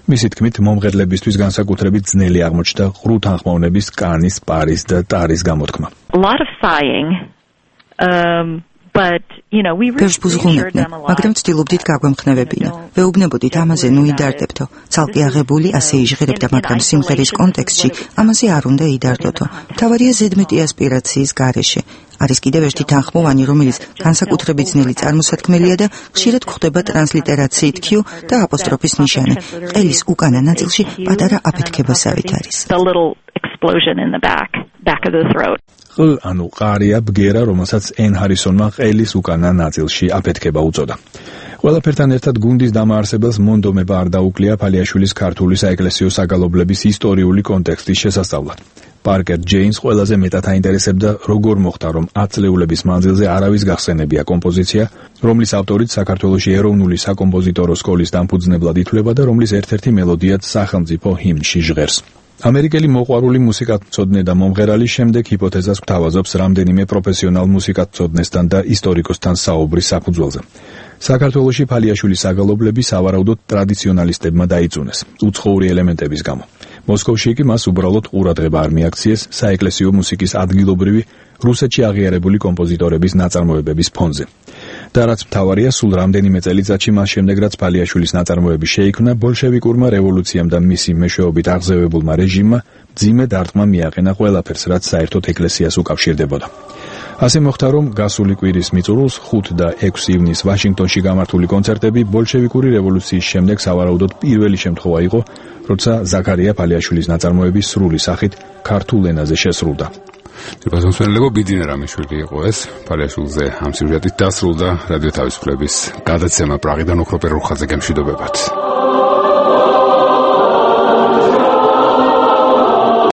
მისი თქმით, მომღერლებისთვის განსაკუთრებით ძნელი აღმოჩნდა ყრუთანხმოვნების კანის, პარის და ტარის გამოთქმა. A lot of sighing. Um But, you know, we really ზღუნებდნენ, მაგრამ ვცდილობდით გაგვემხნევებინა. ვეუბნებოდით ამაზე ნუ იდარდებთო. ცალკე აღებული ასე იჟღერებდა, მაგრამ სიმღერის კონტექსტში ამაზე არ უნდა იდარდოთო. მთავარია ზედმეტი ასპირაციის გარეშე. არის კიდევ ერთი თანხმოვანი, რომელიც განსაკუთრებით ძნელი წარმოსათქმელია და ხშირად გვხვდება ტრანსლიტერაციით Q და აპოსტროფის ნიშანი. ყელის უკანა ნაწილში პატარა აფეთქებასავით არის. Explosion in the back, back of the throat. ყ ანუ ყარია ბგერა, რომელსაც ენ ჰარისონმა ყელის უკანა ნაწილში აფეთქება უწოდა. ყველაფერთან ერთად გუნდის დამაარსებელს მონდომება არ დაუკლია ფალიაშვილის ქართული საეკლესიო საგალობლების ისტორიული კონტექსტის შესასწავლად. პარკერ ჯეინს ყველაზე მეტად აინტერესებდა, როგორ მოხდა, რომ ათწლეულების მანძილზე არავის გახსენებია კომპოზიცია, რომლის ავტორიც საქართველოში ეროვნული საკომპოზიტორო სკოლის დამფუძნებლად ითვლება და რომლის ერთ-ერთი მელოდიაც სახელმწიფო ჰიმნში ჟღერს. ამერიკელი მოყვარული მუსიკათმცოდნე და მომღერალი შემდეგ ჰიპოთეზას გვთავაზობს რამდენიმე პროფესიონალ მუსიკათმცოდნესთან და ისტორიკოსთან საუბრის საფუძველზე. საქართველოში ფალიაშვილის საგალობლები სავარაუდოდ ტრადიციონალისტებმა დაიწუნეს, უცხოური ელემენტების გამო. მოსკოვში კი მას უბრალოდ ყურადღება არ მიაქციეს საეკლესიო მუსიკის ადგილობრივი რუსეთში აღიარებული კომპოზიტორების ნაწარმოებების ფონზე. და რაც მთავარია, სულ რამდენიმე წელიწადში მას შემდეგ, რაც ფალიაშვილის ნაწარმოები შეიქმნა, ბოლშევიკურმა რევოლუციამ და მისი მეშვეობით აღზევებულმა რეჟიმმა მძიმე დარტყმა მიაყენა ყველაფერს, რაც საერთოდ ეკლესიას უკავშირდებოდა. ასე მოხდა, რომ გასული კვირის მიწურულს ხუთ და ექვსი ივნის ვაშინგტონში გამართული კონცერტები ბოლშევიკური რევოლუციის შემდეგ სავარაუდოდ პირველი შემთხვევა იყო, როცა ზაქარია ფალიაშვილის ნაწარმოები სრული სახით ქართულ ენაზე შესრულდა. Tipazonsuelenlebo Bidine Ramiშვილი იყო ეს. ფალიაშვილზე ამ სიუჟეტით დასრულდა რადიო თავისუფლების გადაცემა პრაღიდან ოქროპერ რუხაძე გემშვიდობებათ.